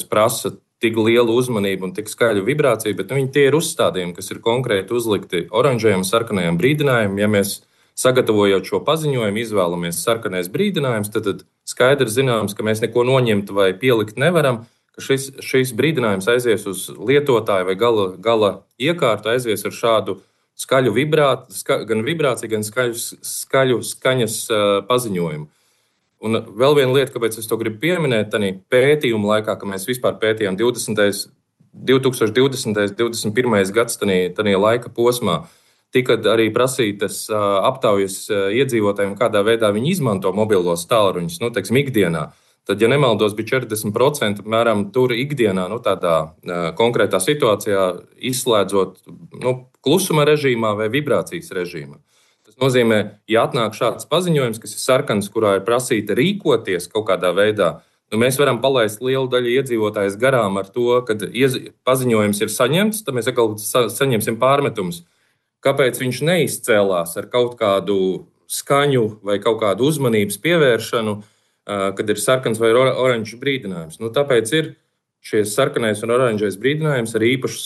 prasa tik lielu uzmanību un tik skaļu vibrāciju, bet tie ir uzstādījumi, kas ir konkrēti uzlikti oranžajam un sarkanajam brīdinājumam. Ja mēs sagatavojot šo paziņojumu izvēlamies sarkanais brīdinājums, tad skaidri zināms, ka mēs neko noņemt vai pielikt nevaram, ka šis brīdinājums aizies uz lietotāju vai gala iekārtu, aizies ar šādu skaļu gan vibrāciju, gan skaļu skaņas paziņojumu. Un vēl viena lieta, kāpēc es to gribu pieminēt, tā pētījuma laikā, ka mēs vispār pētījām 2020. 21. gads, tā laika posmā, tika arī prasītas aptaujas iedzīvotājiem, kādā veidā viņi izmanto mobilos tālruņus, teiksim, ikdienā. Tad, ja nemaldos, bija 40% apmēram tur ikdienā, tādā konkrētā situācijā, izslēdzot klusuma režīmā vai vibrācijas režīmā. Tas nozīmē, ja atnāk šāds paziņojums, kas ir sarkans, kurā ir prasīta rīkoties kaut kādā veidā, mēs varam palaist lielu daļu iedzīvotājus garām ar to, kad paziņojums ir saņemts, tad mēs atkal saņemsim pārmetumus. Kāpēc viņš neizcēlās ar kaut kādu skaņu vai kaut kādu uzmanības pievēršanu, kad ir sarkans vai oranžs brīdinājums. Tāpēc ir šis sarkanais un oranžais brīdinājums ar īpašu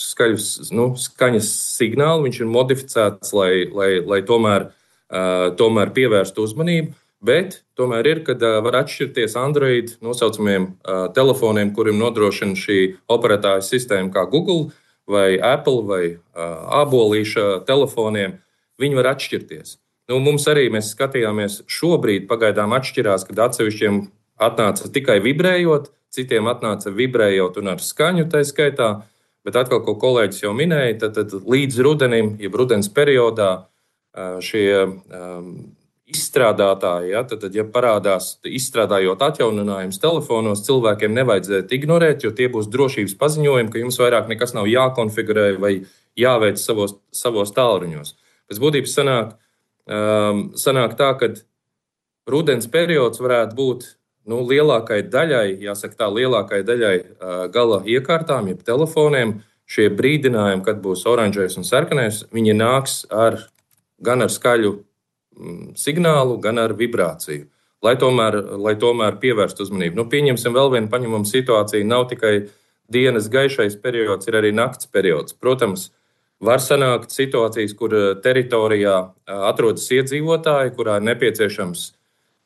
skaņas signālu. Viņš ir modificēts, lai tomēr pievērstu uzmanību, bet tomēr ir, kad var atšķirties Android nosaucamiem telefoniem, kuriem nodrošina šī operatāja sistēma kā Google vai Apple vai ābolīša telefoniem. Viņi var atšķirties. Mums arī mēs skatījāmies šobrīd pagaidām atšķirās, kad atsevišķiem atnāca tikai vibrējot, citiem atnāca vibrējot un ar skaņu tā skaitā, bet atkal, ko kolēģis jau minēja, tad līdz rudenim, jeb rudens periodā šie izstrādātāji, ja parādās izstrādājot atjauninājumus telefonos, cilvēkiem nevajadzētu ignorēt, jo tie būs drošības paziņojumi, ka jums vairāk nekas nav jākonfigurē vai jāveic savos tālruņos. Pēc būtības sanāk tā, ka rudens periods varētu būt lielākai daļai gala iekārtām, jeb telefoniem. Šie brīdinājumi, kad būs oranžais un sarkanais, viņi nāks gan ar skaļu signālu, gan ar vibrāciju, lai tomēr pievērstu uzmanību. Pieņemsim vēl vienu paņemumu situāciju. Nav tikai dienas gaišais periods, ir arī nakts periods. Protams, var sanākt situācijas, kur teritorijā atrodas iedzīvotāji, kurā ir nepieciešams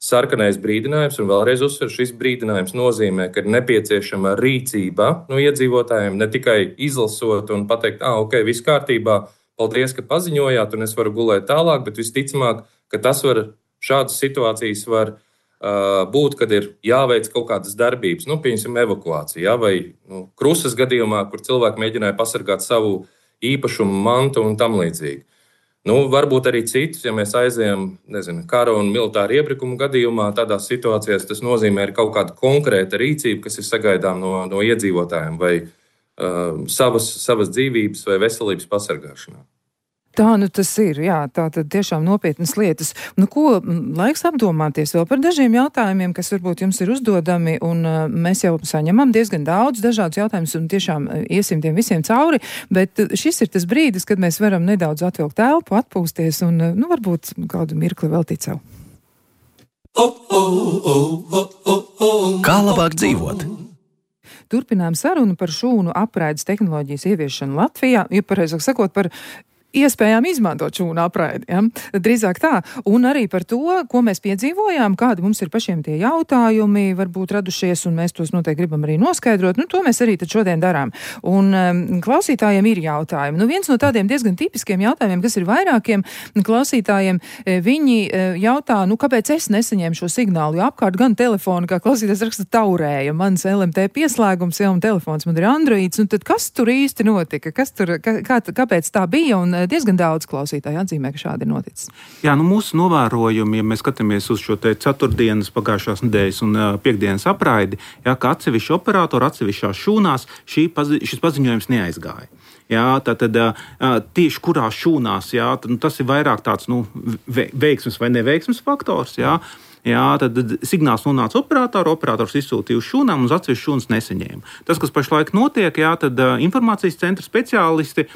sarkanais brīdinājums, un vēlreiz uzsver, šis brīdinājums nozīmē, ka ir nepieciešama rīcība no iedzīvotājiem, ne tikai izlasot un pateikt, ok, viss kārtībā, paldies, ka paziņojāt, un es varu gulēt tālāk, bet visticamāk, ka šādas situācijas var būt, kad ir jāveic kaut kādas darbības, piemēram, evakuācija, vai krusas gadījumā, kur cilvēki mēģināja pasargāt savu īpašumu, mantu un tam līdzīgi. Varbūt arī citus, ja mēs aizējam, kara un militāra iebrukuma gadījumā, tādās situācijās tas nozīmē kaut kāda konkrēta rīcība, kas ir sagaidām no iedzīvotājiem vai savas dzīvības vai veselības pasargāšanā. Tā tas ir, jā, tā tad tiešām nopietnas lietas. Ko laiks apdomāties vēl par dažiem jautājumiem, kas varbūt jums ir uzdodami, un mēs jau saņemam diezgan daudz dažādus jautājumus, un tiešām iesim tiem visiem cauri, bet šis ir tas brīdis, kad mēs varam nedaudz atvilkt telpu, atpūsties, un varbūt kādu mirkli vēl ticau. Kā labāk dzīvot? Turpinām sarunu par šūnu apraides tehnoloģijas ieviešanu Latvijā, ja pareizāk sakot par iespējām izmantot šūnu apraidi. Ja? Drīzāk tā. Un arī par to, ko mēs piedzīvojām, kādi mums ir pašiem tie jautājumi, varbūt radušies, un mēs tos noteikti gribam arī noskaidrot. To mēs arī tad šodien darām. Un klausītājiem ir jautājumi. Viens no tādiem diezgan tipiskiem jautājumiem, kas ir vairākiem klausītājiem, viņi jautā, kāpēc es nesaņēmu šo signālu, jo apkārt gan telefonu, kā klausītājs raksta, taurēja. Mans LMT pieslēgums, un telefons man ir Androids, un tad kas tur īsti notika? Kāpēc tā bija? Un diezgan daudz klausītāju atzīmē, ka šādi ir noticis. Jā, mūsu novērojumi, ja mēs skatāmies uz šo ceturtdienas, pagājušās nedēļas un piekdienas apraidi, ka atsevišķi operatori, atsevišķās šūnās šis paziņojums neaizgāja. Jā, tātad tieši kurās šūnās, tas ir vairāk tāds veiksmes vai neveiksmes faktors. Tad signāls nonāca operators izsūtīja uz šūnām un uz atsevišķu šūnas nesaņēma. Tas, kas pašlaik notiek, tad informācijas centra speciālisti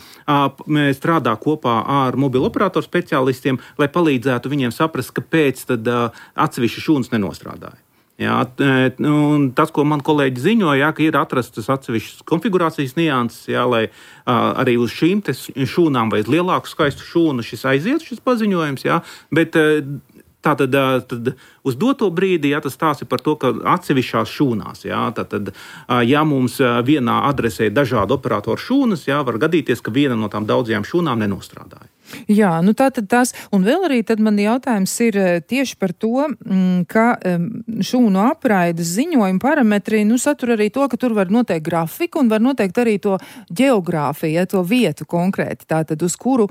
strādā kopā ar mobilo operatoru speciālistiem, lai palīdzētu viņiem saprast, kāpēc atsevišķi šūnas nenostrādāja. Tas, ko man kolēģi ziņoja, ka ir atrastas atsevišķas konfigurācijas nianses, lai arī uz šīm šūnām vai uz lielāku skaistu šūnu šis paziņojums, bet tātad uz doto brīdi tas stāsta par to, ka atsevišķās šūnās, ja mums vienā adresē dažādu operatoru šūnas, var gadīties, ka viena no tām daudzajām šūnām nenostrādāja. Jā, tātad tas, un vēl arī tad man jautājums ir tieši par to, ka šūnu apraides ziņojuma parametri, satur arī to, ka tur var noteikt grafiku un var noteikt arī to ģeogrāfiju, to vietu konkrēti, tātad uz kuru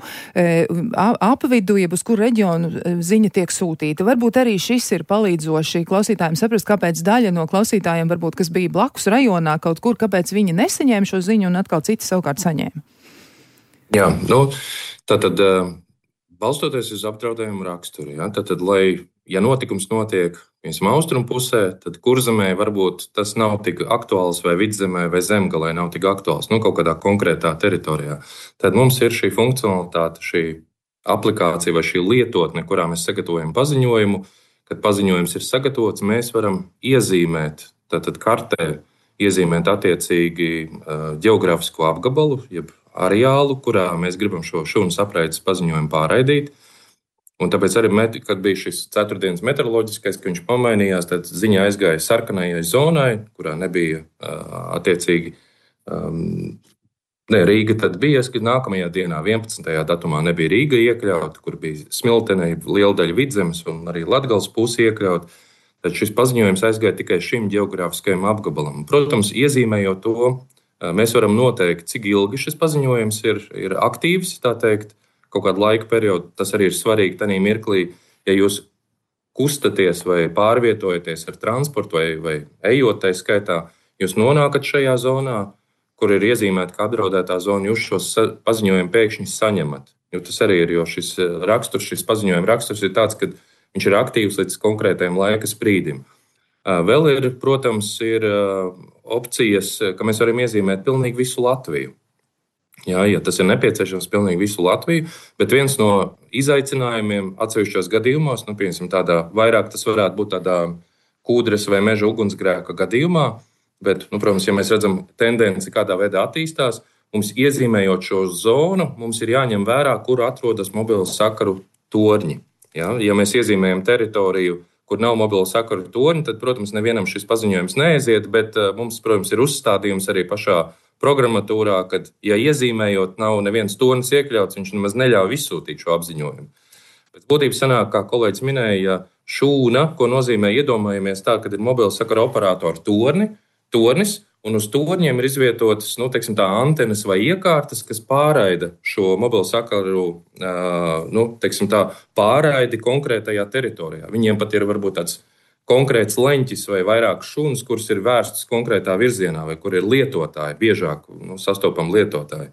apvidu, jeb uz kuru reģionu ziņa tiek sūtīta. Varbūt arī šis ir palīdzoši klausītājiem saprast, kāpēc daļa no klausītājiem, varbūt, kas bija blakus rajonā kaut kur, kāpēc viņi nesaņēma šo ziņu un atkal citi savukārt saņēma. Jā, tātad, balstoties uz apdraudējumu raksturu, tātad, ja notikums notiek austrumu pusē, tad kurzemē varbūt tas nav tik aktuāls, vai vidzemē, vai zemgalē nav tik aktuāls, kaut kādā konkrētā teritorijā. Tad mums ir šī funkcionalitāte, šī aplikācija vai šī lietotne, kurā mēs sagatavojam paziņojumu. Kad paziņojums ir sagatavots, mēs varam iezīmēt, tātad kartē, iezīmēt attiecīgi ģeogrāfisko apgabalu, jeb areālu, kurā mēs gribam šo šūnas apraides paziņojumu pārraidīt. Un tāpēc arī, kad bija šis ceturtdienas meteoroloģiskais, ka viņš pamainījās, tad ziņa aizgāja sarkanajai zonai, kurā nebija attiecīgi Rīga. Tad bija, ka nākamajā dienā, 11. datumā, nebija Rīga iekļauta, kur bija Smiltenē, liela daļa Vidzemes un arī Latgales pusi iekļauta. Tad šis paziņojums aizgāja tikai šim ģeogrāfiskajam apgabalam. Protams, iezīmējot to, mēs varam noteikt, cik ilgi šis paziņojums ir aktīvs, tā teikt, kaut kādu laika periodu. Tas arī ir svarīgi tajā mirklī, ja jūs kustaties vai pārvietojaties ar transportu vai ejot tai skaitā, jūs nonākat šajā zonā, kur ir iezīmēta kā apdraudētā zona, jūs šos paziņojumu pēkšņi saņemat. Jo tas arī ir, jo šis paziņojuma raksturs ir tāds, ka viņš ir aktīvs līdz konkrētajam laika sprīdim. Vēl ir, protams, ir opcijas, ka mēs varam iezīmēt pilnīgi visu Latviju. Ja tas ir nepieciešams pilnīgi visu Latviju, bet viens no izaicinājumiem atsevišķos gadījumos, vairāk tas varētu būt tādā kūdres vai meža ugunsgrēka gadījumā, bet, protams, ja mēs redzam tendenci, kādā veidā attīstās, mums iezīmējot šo zonu, mums ir jāņem vērā, kur atrodas mobilo sakaru torņi. Ja mēs iezīmējam teritoriju, kur nav mobilo sakaru torņi, tad, protams, nevienam šis paziņojums neaiziet, bet mums, protams, ir uzstādījums arī pašā programmatūrā, kad, ja iezīmējot nav neviens tornis iekļauts, viņš nemaz neļauj izsūtīt šo apziņojumu. Pēc būtības sanāk, kā kolēģis minēja, šūna, ko nozīmē iedomājamies tā, kad ir mobilo sakaru operatoru tornis, un uz torņiem ir izvietotas, antenas vai iekārtas, kas pārraida šo mobilo sakaru, pārraidi konkrētajā teritorijā. Viņiem pat ir varbūt tāds konkrēts leņķis vai vairākas šūnas, kuras ir vērstas konkrētā virzienā, vai kur ir lietotāji, biežāk sastopam lietotāji.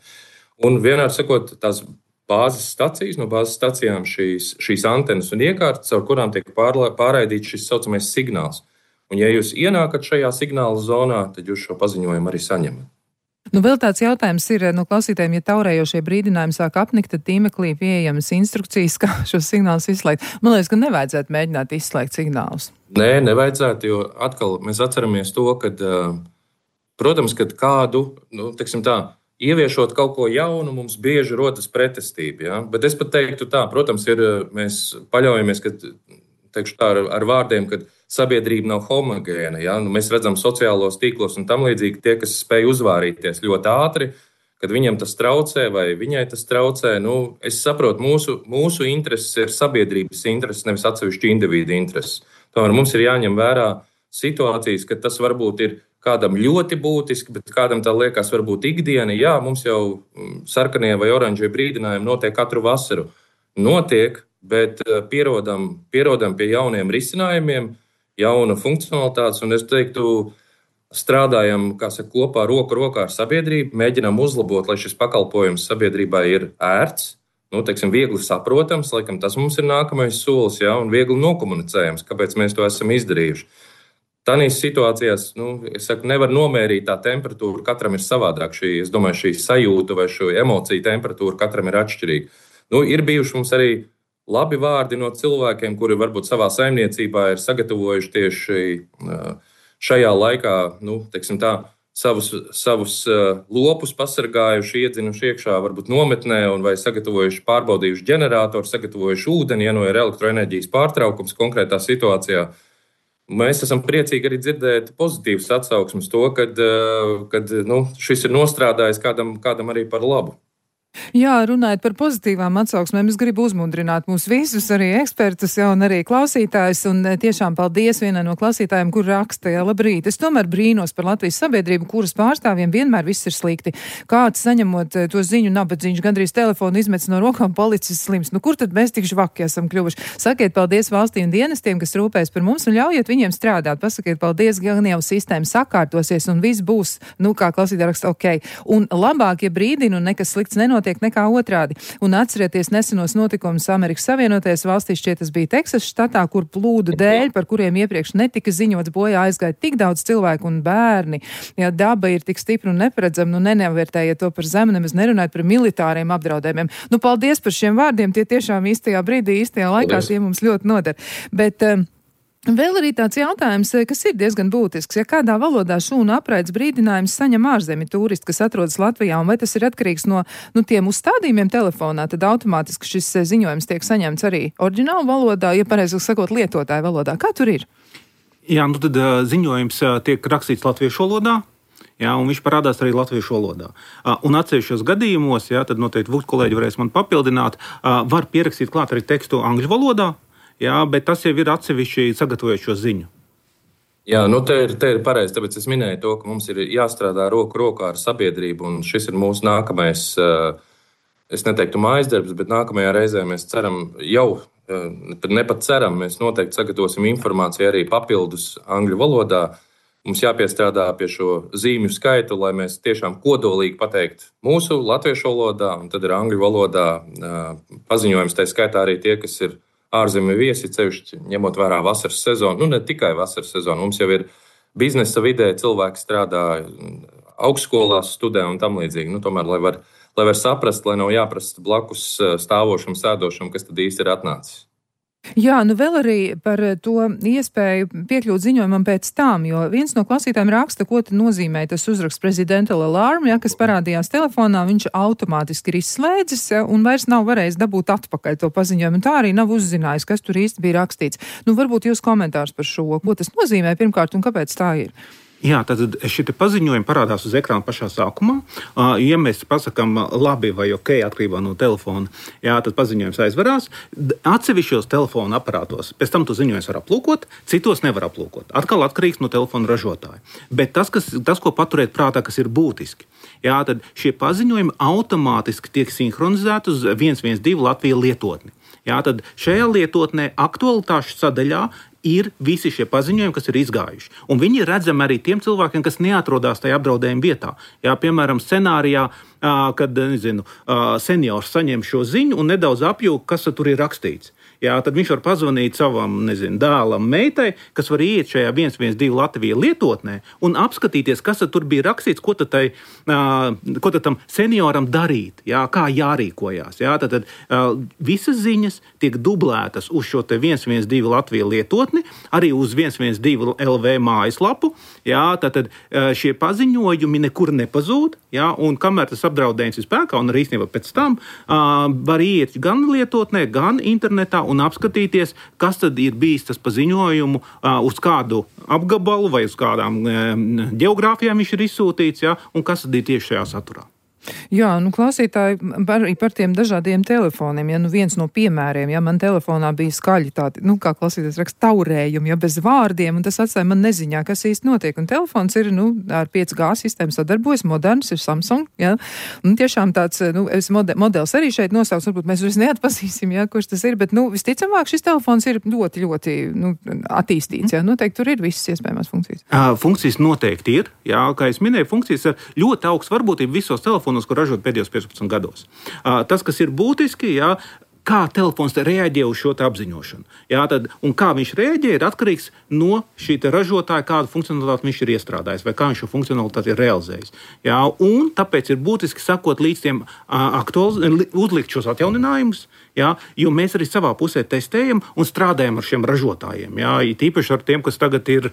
Un vienmēr sakot, tās bāzes stacijas, no bāzes stacijām šīs antenas un iekārtas, ar kurām tiek pārraidīts šis saucamais signāls. Un, ja jūs ienākat šajā signāla zonā, tad jūs šo paziņojumu arī saņemat. Vēl tāds jautājums ir no klausītājiem, ja taurējošie brīdinājumi sāk apnikt, tad tīmeklī pieejamas instrukcijas, kā šos signālus izslēgt. Man liekas, ka nevajadzētu mēģināt izslēgt signālus. Nē, nevajadzētu, jo atkal mēs atceramies to, ka, protams, kad kādu, ieviešot kaut ko jaunu, mums bieži rodas pretestība. Ja? Bet es pat teiktu tā, protams, mēs paļaujamies, ka, teikšu tā, ar vārdiem, ka sabiedrība nav homogēna. Ja? Nu, mēs redzam sociālos tīklos un tam līdzīgi tie, kas spēj uzvārīties ļoti ātri, kad viņam tas traucē vai viņai tas traucē. Nu, es saprotu, mūsu intereses ir sabiedrības intereses, nevis atsevišķi individu intereses. Tomēr mums ir jāņem vērā situācijas, ka tas varbūt ir kādam ļoti būtiski, bet kādam tā liekas varbūt ikdiena. Jā, mums jau sarkanie vai oranžie brīdinājumi notiek katru vasaru. Notiek, bet pierodam pie jauniem risinājumiem, jauna funkcionalitātes, un es teiktu, strādājam, kopā roku rokā ar sabiedrību, mēģinām uzlabot, lai šis pakalpojums sabiedrībai ir ērts, viegli saprotams, laikam tas mums ir nākamais solis, ja, un viegli nokomunicējams, kāpēc mēs to esam izdarījuši. Tādās situācijās, es saku, nevar nomērīt tā temperatūra, katram ir savādāk. Es domāju, šī sajūta vai šo emociju temperatūra katram ir atšķirīga. Ir bijuši mums arī labi vārdi no cilvēkiem, kuri varbūt savā saimniecībā ir sagatavojuši tieši šajā laikā, savus lopus pasargājuši, iedzinuši iekšā, varbūt nometnē, vai sagatavojuši, pārbaudījuši ģeneratoru, sagatavojuši ūdeni, ja ir elektroenerģijas pārtraukums konkrētā situācijā. Mēs esam priecīgi arī dzirdēt pozitīvas atsauksmes to, kad šis ir nostrādājis kādam arī par labu. Jā, runājot par pozitīvām atsauksmēm, es gribu uzmundrināt mūs visus, arī ekspertus, un arī klausītājus, un tiešām paldies vienai no klausītājiem, kur raksta, jā, labrīt. Es tomēr brīnos par Latvijas sabiedrību, kuras pārstāvjiem vienmēr viss ir slikti. Kāds saņemot to ziņu nabadzīņš, gandrīz telefonu izmets no rokām, policists slims. Kur tad mēs tik žvaki esam kļuvuši? Sakiet paldies valstī un dienestiem, kas rūpēs par mums, un ļaujiet viņiem strādāt. Pasakiet paldies, gan jau sistēma sakārtosies, un viss būs, kā klausītāji raksta, ok. Un labāk, ja brīdina un nekas slikts nenotiek nekā otrādi. Un atcerieties nesenos notikumus Amerikas Savienotajās valstīs, šķiet tas bija Teksas štatā, kur plūdu dēļ, par kuriem iepriekš netika ziņots, bojā aizgāja tik daudz cilvēku un bērni. Ja daba ir tik stipra un neparedzama, nenovērtējiet to par zemu, nemaz nerunājot par militāriem apdraudējumiem. Paldies par šiem vārdiem, tie tiešām īstajā brīdī, īstajā laikā, tie mums ļoti noder. Bet vēl arī tāds jautājums, kas ir diezgan būtisks. Ja kādā valodā šūnu apraides brīdinājums saņem ārzemju turisti, kas atrodas Latvijā, un vai tas ir atkarīgs no tiem uzstādījumiem telefonā, tad automātiski šis ziņojums tiek saņemts arī oriģinālu valodā, ja pareizāk sakot, lietotāju valodā. Kā tur ir? Jā, tad ziņojums tiek rakstīts latviešu valodā. Jā, un viņš parādās arī latviešu valodā. Un atsevišķos gadījumos, tad noteikti kolēģi varēs man papildināt, var pierakstīt klāt arī tekstu angļu valodā. Jā, bet tas jau ir atsevišķi sagatavojot šo ziņu. Jā, te ir pareizi, tāpēc es minēju to, ka mums ir jāstrādā roku rokā ar sabiedrību, un šis ir mūsu nākamais, es neteiktu mājas darbs, bet nākamajā reizē mēs ceram nepat ceram, mēs noteikti sagatavosim informāciju arī papildus angļu valodā. Mums jāpiestrādā pie šo zīmju skaitu, lai mēs tiešām kodolīgi pateikt mūsu latviešu valodā, un tad ir angļu valodā paziņojums, tā skaitā arī tie, kas ir ārzemju viesi, ceļšķi, ņemot vērā vasaras sezonu, ne tikai vasaras sezonu. Mums jau ir biznesa vidē, cilvēki strādā augstskolās, studē un tam līdzīgi. Tomēr, lai var saprast, lai nav jāprasa blakus stāvošam, sēdošam, kas tad īsti ir atnācis. Jā, vēl arī par to iespēju piekļūt ziņojumam pēc tām, jo viens no klausītājiem raksta, ko tad nozīmē tas uzraksts presidential alarm, kas parādījās telefonā, viņš automātiski ir izslēdzis un vairs nav varējis dabūt atpakaļ to paziņojumu, un tā arī nav uzzinājis, kas tur īsti bija rakstīts. Varbūt jūs komentārs par šo, ko tas nozīmē pirmkārt un kāpēc tā ir? Jā, tad šie paziņojumi parādās uz ekrāna pašā sākumā. Ja mēs pasakām labi vai ok, atkarībā no telefona, tad paziņojums aizvarās. Atsevišķos telefona aparātos pēc tam to ziņojums var aplūkot, citos nevar aplūkot. Atkal atkarīgs no telefona ražotāja. Bet tas, ko paturēt prātā, kas ir būtiski, tad šie paziņojumi automātiski tiek sinhronizēti uz 112 Latvijas lietotni. Tad šajā lietotnē aktualitāšu sadaļā ir visi šie paziņojumi, kas ir izgājuši. Un viņi ir redzami arī tiem cilvēkiem, kas neatrodas tajā apdraudējuma vietā. Piemēram, scenārijā, kad seniors saņem šo ziņu un nedaudz apjūg, kas tur ir rakstīts. jā, tad viņš var pazvanīt savam, dēlam, meitai, kas var iet šajā 112 Latvija lietotnē un apskatīties, kas tur bija rakstīts, ko tad tam senioram darīt, jā, kā jārīkojās. Jā, tad visas ziņas tiek dublētas uz šo te 112 Latvija lietotni, arī uz 112 LV mājaslapu. Jā, tad šie paziņojumi nekur nepazūd, jā, un kamēr tas apdraudējums ir spēkā, un arī īstenībā pēc tam var iet gan lietotnē, gan internetā un apskatīties, kas tad ir bijis tas paziņojumu uz kādu apgabalu vai uz kādām geogrāfijām viņš ir izsūtīts, jā, un kas tad ir tieši šajā saturā. Jā, klausītāji par tiem dažādiem telefoniem, ja viens no piemēriem, ja man telefonā bija skaļi tādi, kā klausītājs raksta, taurējumi, ja bez vārdiem, un tas atstāja man neziņā, kas īsti notiek, un telefons ir, ar 5G sistēmu sadarbojas, moderns, ir Samsung, ja, un tiešām tāds, modelis arī šeit nosauks, varbūt mēs vairs neatpazīsim, ja, kurš tas ir, bet, visticamāk, šis telefons ir ļoti, ļoti, attīstīts, ja, noteikti tur ir visas iespējamās funkcijas. Funkcijas noteikti ir, jā, kā es minēju, funkcijas ar ļoti augstu varbūtību visos telefonos, ko ražot pēdējos 15 gados. Tas, kas ir būtiski, jā, kā telefons reaģē uz šo apziņošanu. Jā, un kā viņš reaģē, ir atkarīgs no šī ražotāja, kādu funkcionalitāti viņš ir iestrādājis, vai kā viņš šo funkcionalitāti ir realizējis. Jā, un tāpēc ir būtiski sakot līdz tiem uzlikt šos atjauninājumus, jā, jo mēs arī savā pusē testējam un strādājam ar šiem ražotājiem. Jā, tīpaši ar tiem, kas tagad ir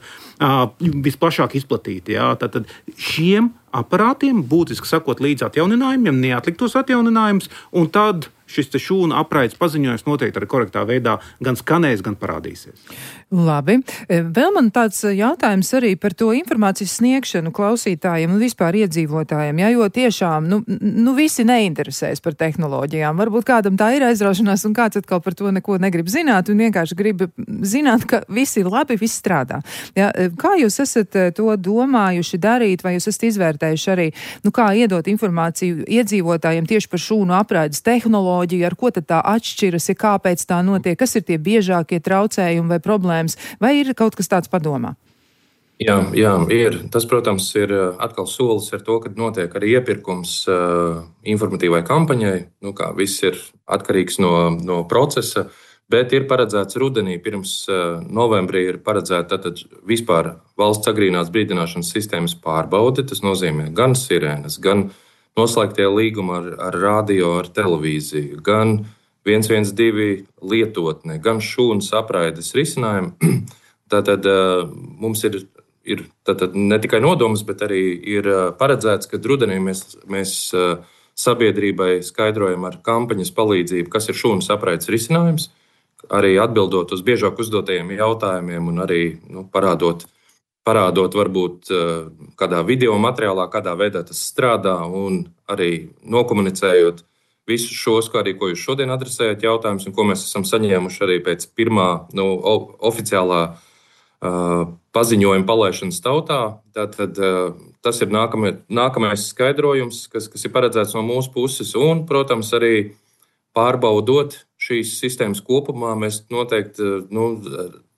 visplašāk izplatīti. Jā, tad šiem aparātiem būtiski sakot līdz atjauninājumiem, neatlikt tos atjauninājumus, un tad šis šūnu apraides paziņojums noteikti arī korektā veidā gan skanēs, gan parādīsies. Labi. Vēl man tāds jautājums arī par to informācijas sniegšanu klausītājiem un vispār iedzīvotājiem, ja, jo tiešām, visi neinteresēs par tehnoloģijām. Varbūt kādam tā ir aizraušanās un kāds atkal par to neko negrib zināt un vienkārši grib zināt, ka viss ir labi, viss strādā. Ja, kā jūs esat to domājuši darīt, vai jūs esat izvērtējuši arī, kā iedot informāciju iedzīvotājiem tieši par šūnu apraides tehnoloģiju, ar ko tad tā atšķiras, ja kāpēc tā notiek, kas ir tie biežākie traucējumi vai problēmas, vai ir kaut kas tāds padomā? Jā, ir. Tas, protams, ir atkal solis ar to, ka notiek arī iepirkums informatīvai kampaņai, kā viss ir atkarīgs no procesa, bet ir paredzēts rudenī, pirms novembrī ir paredzēta vispār valsts agrīnās brīdināšanas sistēmas pārbaude. Tas nozīmē gan sirēnas, gan noslēgtie līgumi ar radio, ar televīziju, gan 112 lietotne, gan šūnas apraides risinājumi. Tātad mums ir ne tikai nodoms, bet arī ir paredzēts, ka rudenī mēs sabiedrībai skaidrojam ar kampaņas palīdzību, kas ir šūnas apraides risinājums, arī atbildot uz biežāk uzdotajiem jautājumiem un arī parādot varbūt kādā video materiālā, kādā veidā tas strādā un arī nokomunicējot visus šos, ko jūs šodien adresējat jautājumus un ko mēs esam saņēmuši arī pēc pirmā oficiālā paziņojuma palaišanas tautā. Tātad tas ir nākamais skaidrojums, kas ir paredzēts no mūsu puses un, protams, arī pārbaudot šīs sistēmas kopumā. Mēs noteikti,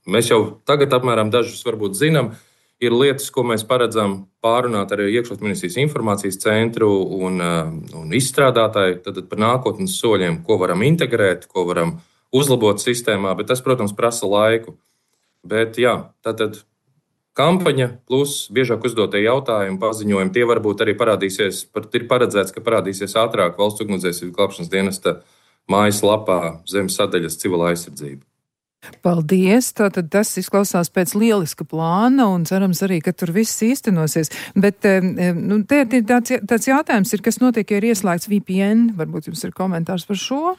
mēs jau tagad apmēram dažus varbūt zinām, ir lietas, ko mēs paredzam pārunāt ar iekšlietu ministrijas informācijas centru un izstrādātāju par nākotnes soļiem, ko varam integrēt, ko varam uzlabot sistēmā, bet tas, protams, prasa laiku. Bet jā, tātad kampaņa plus biežāk uzdotie jautājumi, paziņojumi, tie varbūt arī parādīsies, ir paredzēts, ka parādīsies ātrāk Valsts ugunsdzēsības glābšanas dienesta mājaslapā zem sadaļas civilā aizsardzība. Paldies! Tātad tas izklausās pēc lieliska plāna un cerams arī, ka tur viss īstenosies. Bet te ir tāds jautājums, kas notiek, ja ir ieslēgts VPN. Varbūt jums ir komentārs par šo?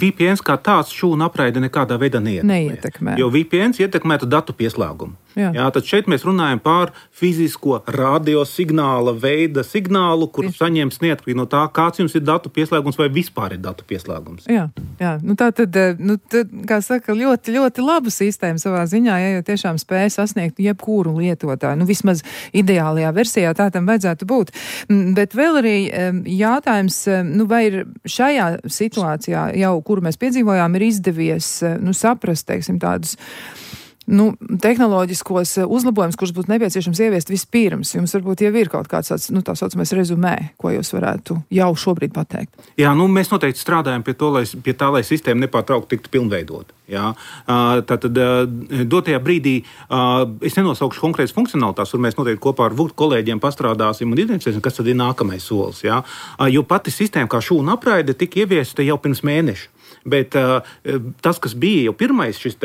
VPN kā tāds šūnu apraide nekādā veidā neietekmē. Jo VPN ietekmētu datu pieslēgumu. Jā, tad šeit mēs runājam par fizisko radiosignāla veida signālu, kur saņems neatkarīgi no tā, kāds jums ir datu pieslēgums vai vispār ir datu pieslēgums. Jā. Tā tad, kā saka, ļoti, ļoti laba sistēma savā ziņā, ja tiešām spēja sasniegt jebkuru lietotāju. Vismaz ideālajā versijā tā tam vajadzētu būt. Bet vēl arī jautājums, vai ir šajā situācijā jau, kuru mēs piedzīvojām, ir izdevies saprast, teiksim, tādus tehnoloģiskos uzlabojumus, kurus būtu nepieciešams ieviest vispirms? Jums varbūt jau ir kaut kāds tāds, tā saucamais rezumē, ko jūs varētu jau šobrīd pateikt. Jā, mēs noteikti strādājam pie tā, lai sistēma nepārtraukti tiktu pilnveidota. Jā. Tātad dotajā brīdī es nenosaukšu konkrētas funkcionalitātes, kur mēs noteikti kopā ar kolēģiem pastrādāsim un identificēsim, kas tad ir nākamais solis. Jā. Jo pati sistēma kā šūnu apraide tika ieviesta jau pirms mēneša. Bet tas, kas bija jau pirmais šis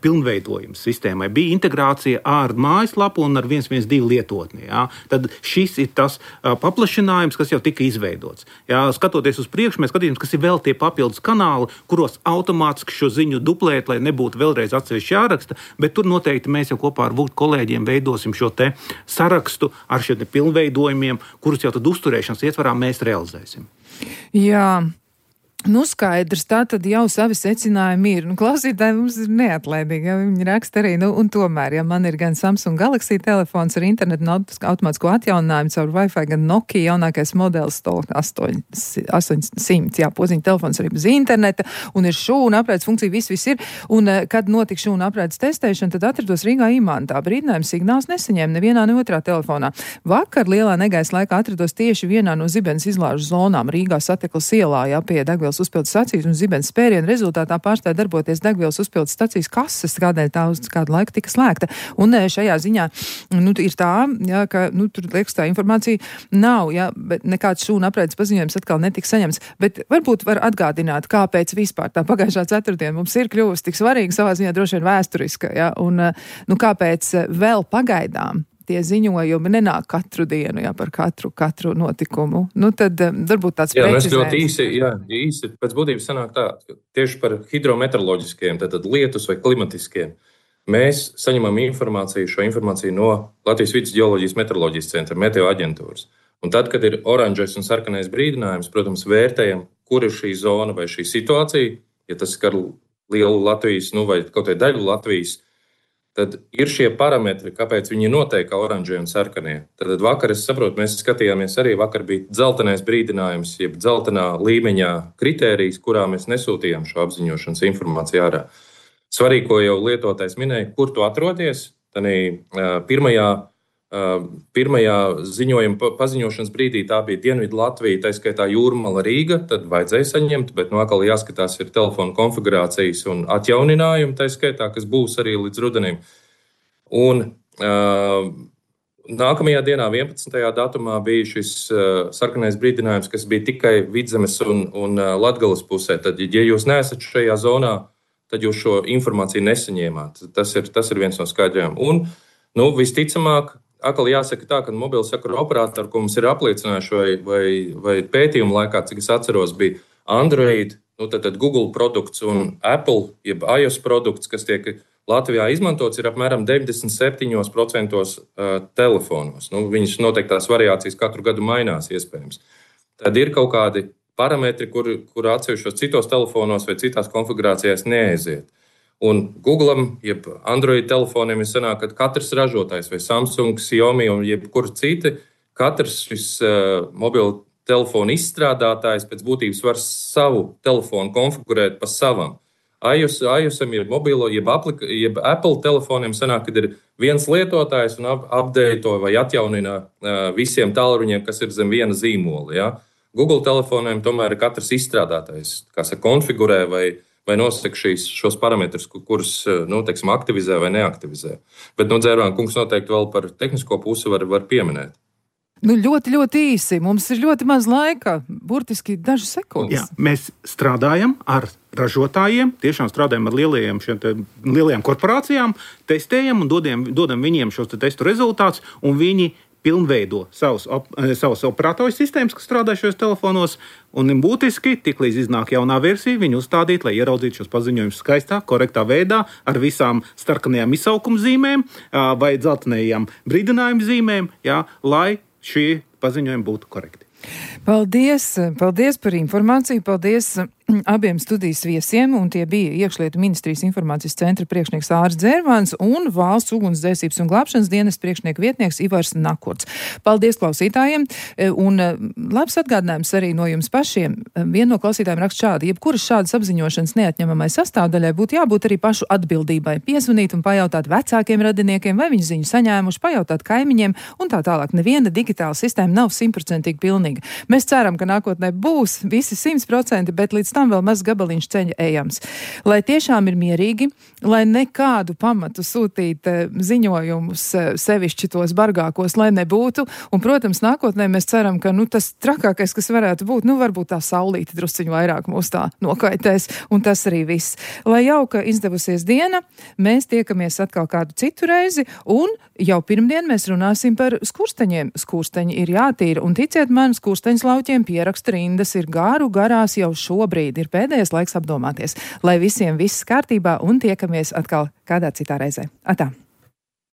pilnveidojums sistēmai, bija integrācija ar mājaslapu un ar 112 lietotni. Jā. Tad šis ir tas paplašinājums, kas jau tika izveidots. Jā. Skatoties uz priekšu, mēs skatīsimies, kas ir vēl tie papildus kanāli, kuros automātiski šo ziņu duplēt, lai nebūtu vēlreiz atsevišķi jāraksta, bet tur noteikti mēs jau kopā ar kolēģiem veidosim šo sarakstu ar šiem pilnveidojumiem, kurus jau tad uzturēšanas ietvarā mēs realizēsim. Jā. Skaidrs, tā tad jau savi secinājumi ir. Klausītāji mums ir neatlaidīgi, ja viņi raksta arī, un tomēr, ja man ir gan Samsung Galaxy telefons ar internetu un automātisko atjauninājumu caur Wi-Fi, gan Nokia jaunākais modelis 800, jā, podziņa telefons arī bez interneta, un ir šūnu apraides funkcija, viss ir. Un, kad notika šūnu apraides testēšana, tad atrados Rīgā Imantā. Brīdinājums signāls nesaņēma nevienā, ne otrā telefonā. Vakar lielā negaisa laikā atrados tieši vienā no Zibenes izlāžu zonām Rīgā Sateklas ielā, jā, pie degvielas uzpildes stacijas un Zibenes spēriena rezultātā pārstāja darboties degvielas uzpildes stacijas kases, kādēļ tā uz kādu laiku tika slēgta. Un šajā ziņā ir tā, jā, ka tur liekas tā informācija nav, jā, bet nekāds šūnu apraides paziņojums atkal netika saņemts. Bet varbūt var atgādināt, kāpēc vispār tā pagājušā ceturtdiena mums ir kļuvusi tik svarīga, savā ziņā droši vien vēsturiska, jā, un kāpēc vēl pagaidām tie ziņojumi nenāk katru dienu, jā, par katru notikumu. Tad varbūt tāds precizējums. Jā, mēs ļoti īsi pēc būtības sanāk tā, tieši par hidrometeoroloģiskiem, tātad lietus vai klimatiskiem. Mēs saņemam šo informāciju no Latvijas Vides ģeoloģijas meteoroloģijas centra, meteo aģentūras. Un tad, kad ir oranžais un sarkanais brīdinājums, protams, vērtējam, kur ir šī zona vai šī situācija, ja tas skar lielu Latvijas, vai kaut vai daļu Latvijas, tad ir šie parametri, kāpēc viņi noteikti kā oranžie un sarkanie. Tad vakar, es saprotu, mēs skatījāmies arī, vakar bija dzeltenais brīdinājums, jeb dzeltenā līmeņā kritērijas, kurā mēs nesūtījām šo apziņošanas informāciju ārā. Svarīgi, ko jau lietotājs minēja, kur tu atrodies, tad pirmajā ziņojuma paziņošanas brīdī tā bija Dienvidu Latvija, tā skaitā Jūrmala Rīga, tad vajadzēja saņemt, bet atkal jāskatās ir telefona konfigurācijas un atjauninājumi, tā skaitā, kas būs arī līdz rudenim. Un nākamajā dienā, 11. datumā, bija šis sarkanais brīdinājums, kas bija tikai Vidzemes un Latgales pusē. Tad, ja jūs neesat šajā zonā, tad jūs šo informāciju nesaņēmāt. Tas ir viens no skaidrojumiem. Un, visticamāk, atkal jāsaka tā, ka mobilo sakaru operatori, ko mums ir apliecinājuši vai pētījumu laikā, cik es atceros, bija Android, tad Google produkts un Apple, jeb iOS produkts, kas tiek Latvijā izmantots, ir apmēram 97% telefonos. Viņas noteiktās variācijas katru gadu mainās iespējams. Tad ir kaut kādi parametri, kur atsevišķos citos telefonos vai citās konfigurācijās neaiziet. Un Google'am, jeb Android telefoniem ir sanāk, ka katrs ražotājs vai Samsung, Xiaomi un jebkur citi, katrs šis mobilo telefonu izstrādātājs pēc būtības var savu telefonu konfigurēt pa savam. iOSam ir mobilo, jeb Apple telefoniem sanāk, kad ir viens lietotājs un updato vai atjaunina visiem tālruņiem, kas ir zem viena zīmola. Ja? Google telefoniem tomēr ir katrs izstrādātājs, kas konfigurē vai nosaka šos parametrus, kurus aktivizē vai neaktivizē. Bet Dzērvāna kungs noteikti vēl par tehnisko pusi var pieminēt. Ļoti, ļoti īsi. Mums ir ļoti maz laika, burtiski dažas sekundes. Jā, mēs strādājam ar ražotājiem, tiešām strādājam ar lielajām korporācijām, testējam un dodam viņiem šos testu rezultātus, un viņi pilnveido savus operatoru sistēmas, kas strādā šajos telefonos, un būtiski, tiklīdz iznāk jaunā versija, viņi uzstādīt, lai ieraudzītu šos paziņojumus skaistā, korektā veidā, ar visām starkanajām izsaukuma zīmēm vai dzeltenajām brīdinājuma zīmēm, lai šie paziņojumi būtu korekti. Paldies par informāciju, paldies abiem studijas viesiem, un tie bija Iekšlietu ministrijas informācijas centra priekšnieks Ārs Dzērvans un Valsts ugunsdzēsības un glābšanas dienas priekšnieka vietnieks Ivars Nakurts. Paldies klausītājiem, un labs atgādinājums arī no jums pašiem. Viena no klausītājiem raksta šādi: jebkuras šādas apziņošanas neatņemamai sastāvdaļai būtu jābūt arī pašu atbildībai. Piezvanīt un pajautāt vecākiem radiniekiem, vai viņi ziņu saņēmuši, pajautāt kaimiņiem un tā tālāk. Neviena digitāla sistēma nav 100% pilnīga. Mēs ceram, ka nākotnē būs visi 100%, bet līdz tam vēl maz gabaliņš ceļa ejams. Lai tiešām ir mierīgi, lai nekādu pamatu sūtīt ziņojumus sevišķi tos bargākos, lai nebūtu. Un, protams, nākotnē mēs ceram, ka tas trakākais, kas varētu būt, varbūt tā saulīte drusciņu vairāk mūs tā nokaitēs, un tas arī viss. Lai jauka izdevusies diena, mēs tiekamies atkal kādu citu reizi, un jau pirmdien mēs runāsim par skursteņiem. Skursteņi ir jātīra, un ticiet man, skursteņas lauķiem pieraksta rindas ir garās jau šobrīd. Ir pēdējais laiks apdomāties. Lai visiem viss kārtībā, un tiekamies atkal kādā citā reizē. Atā!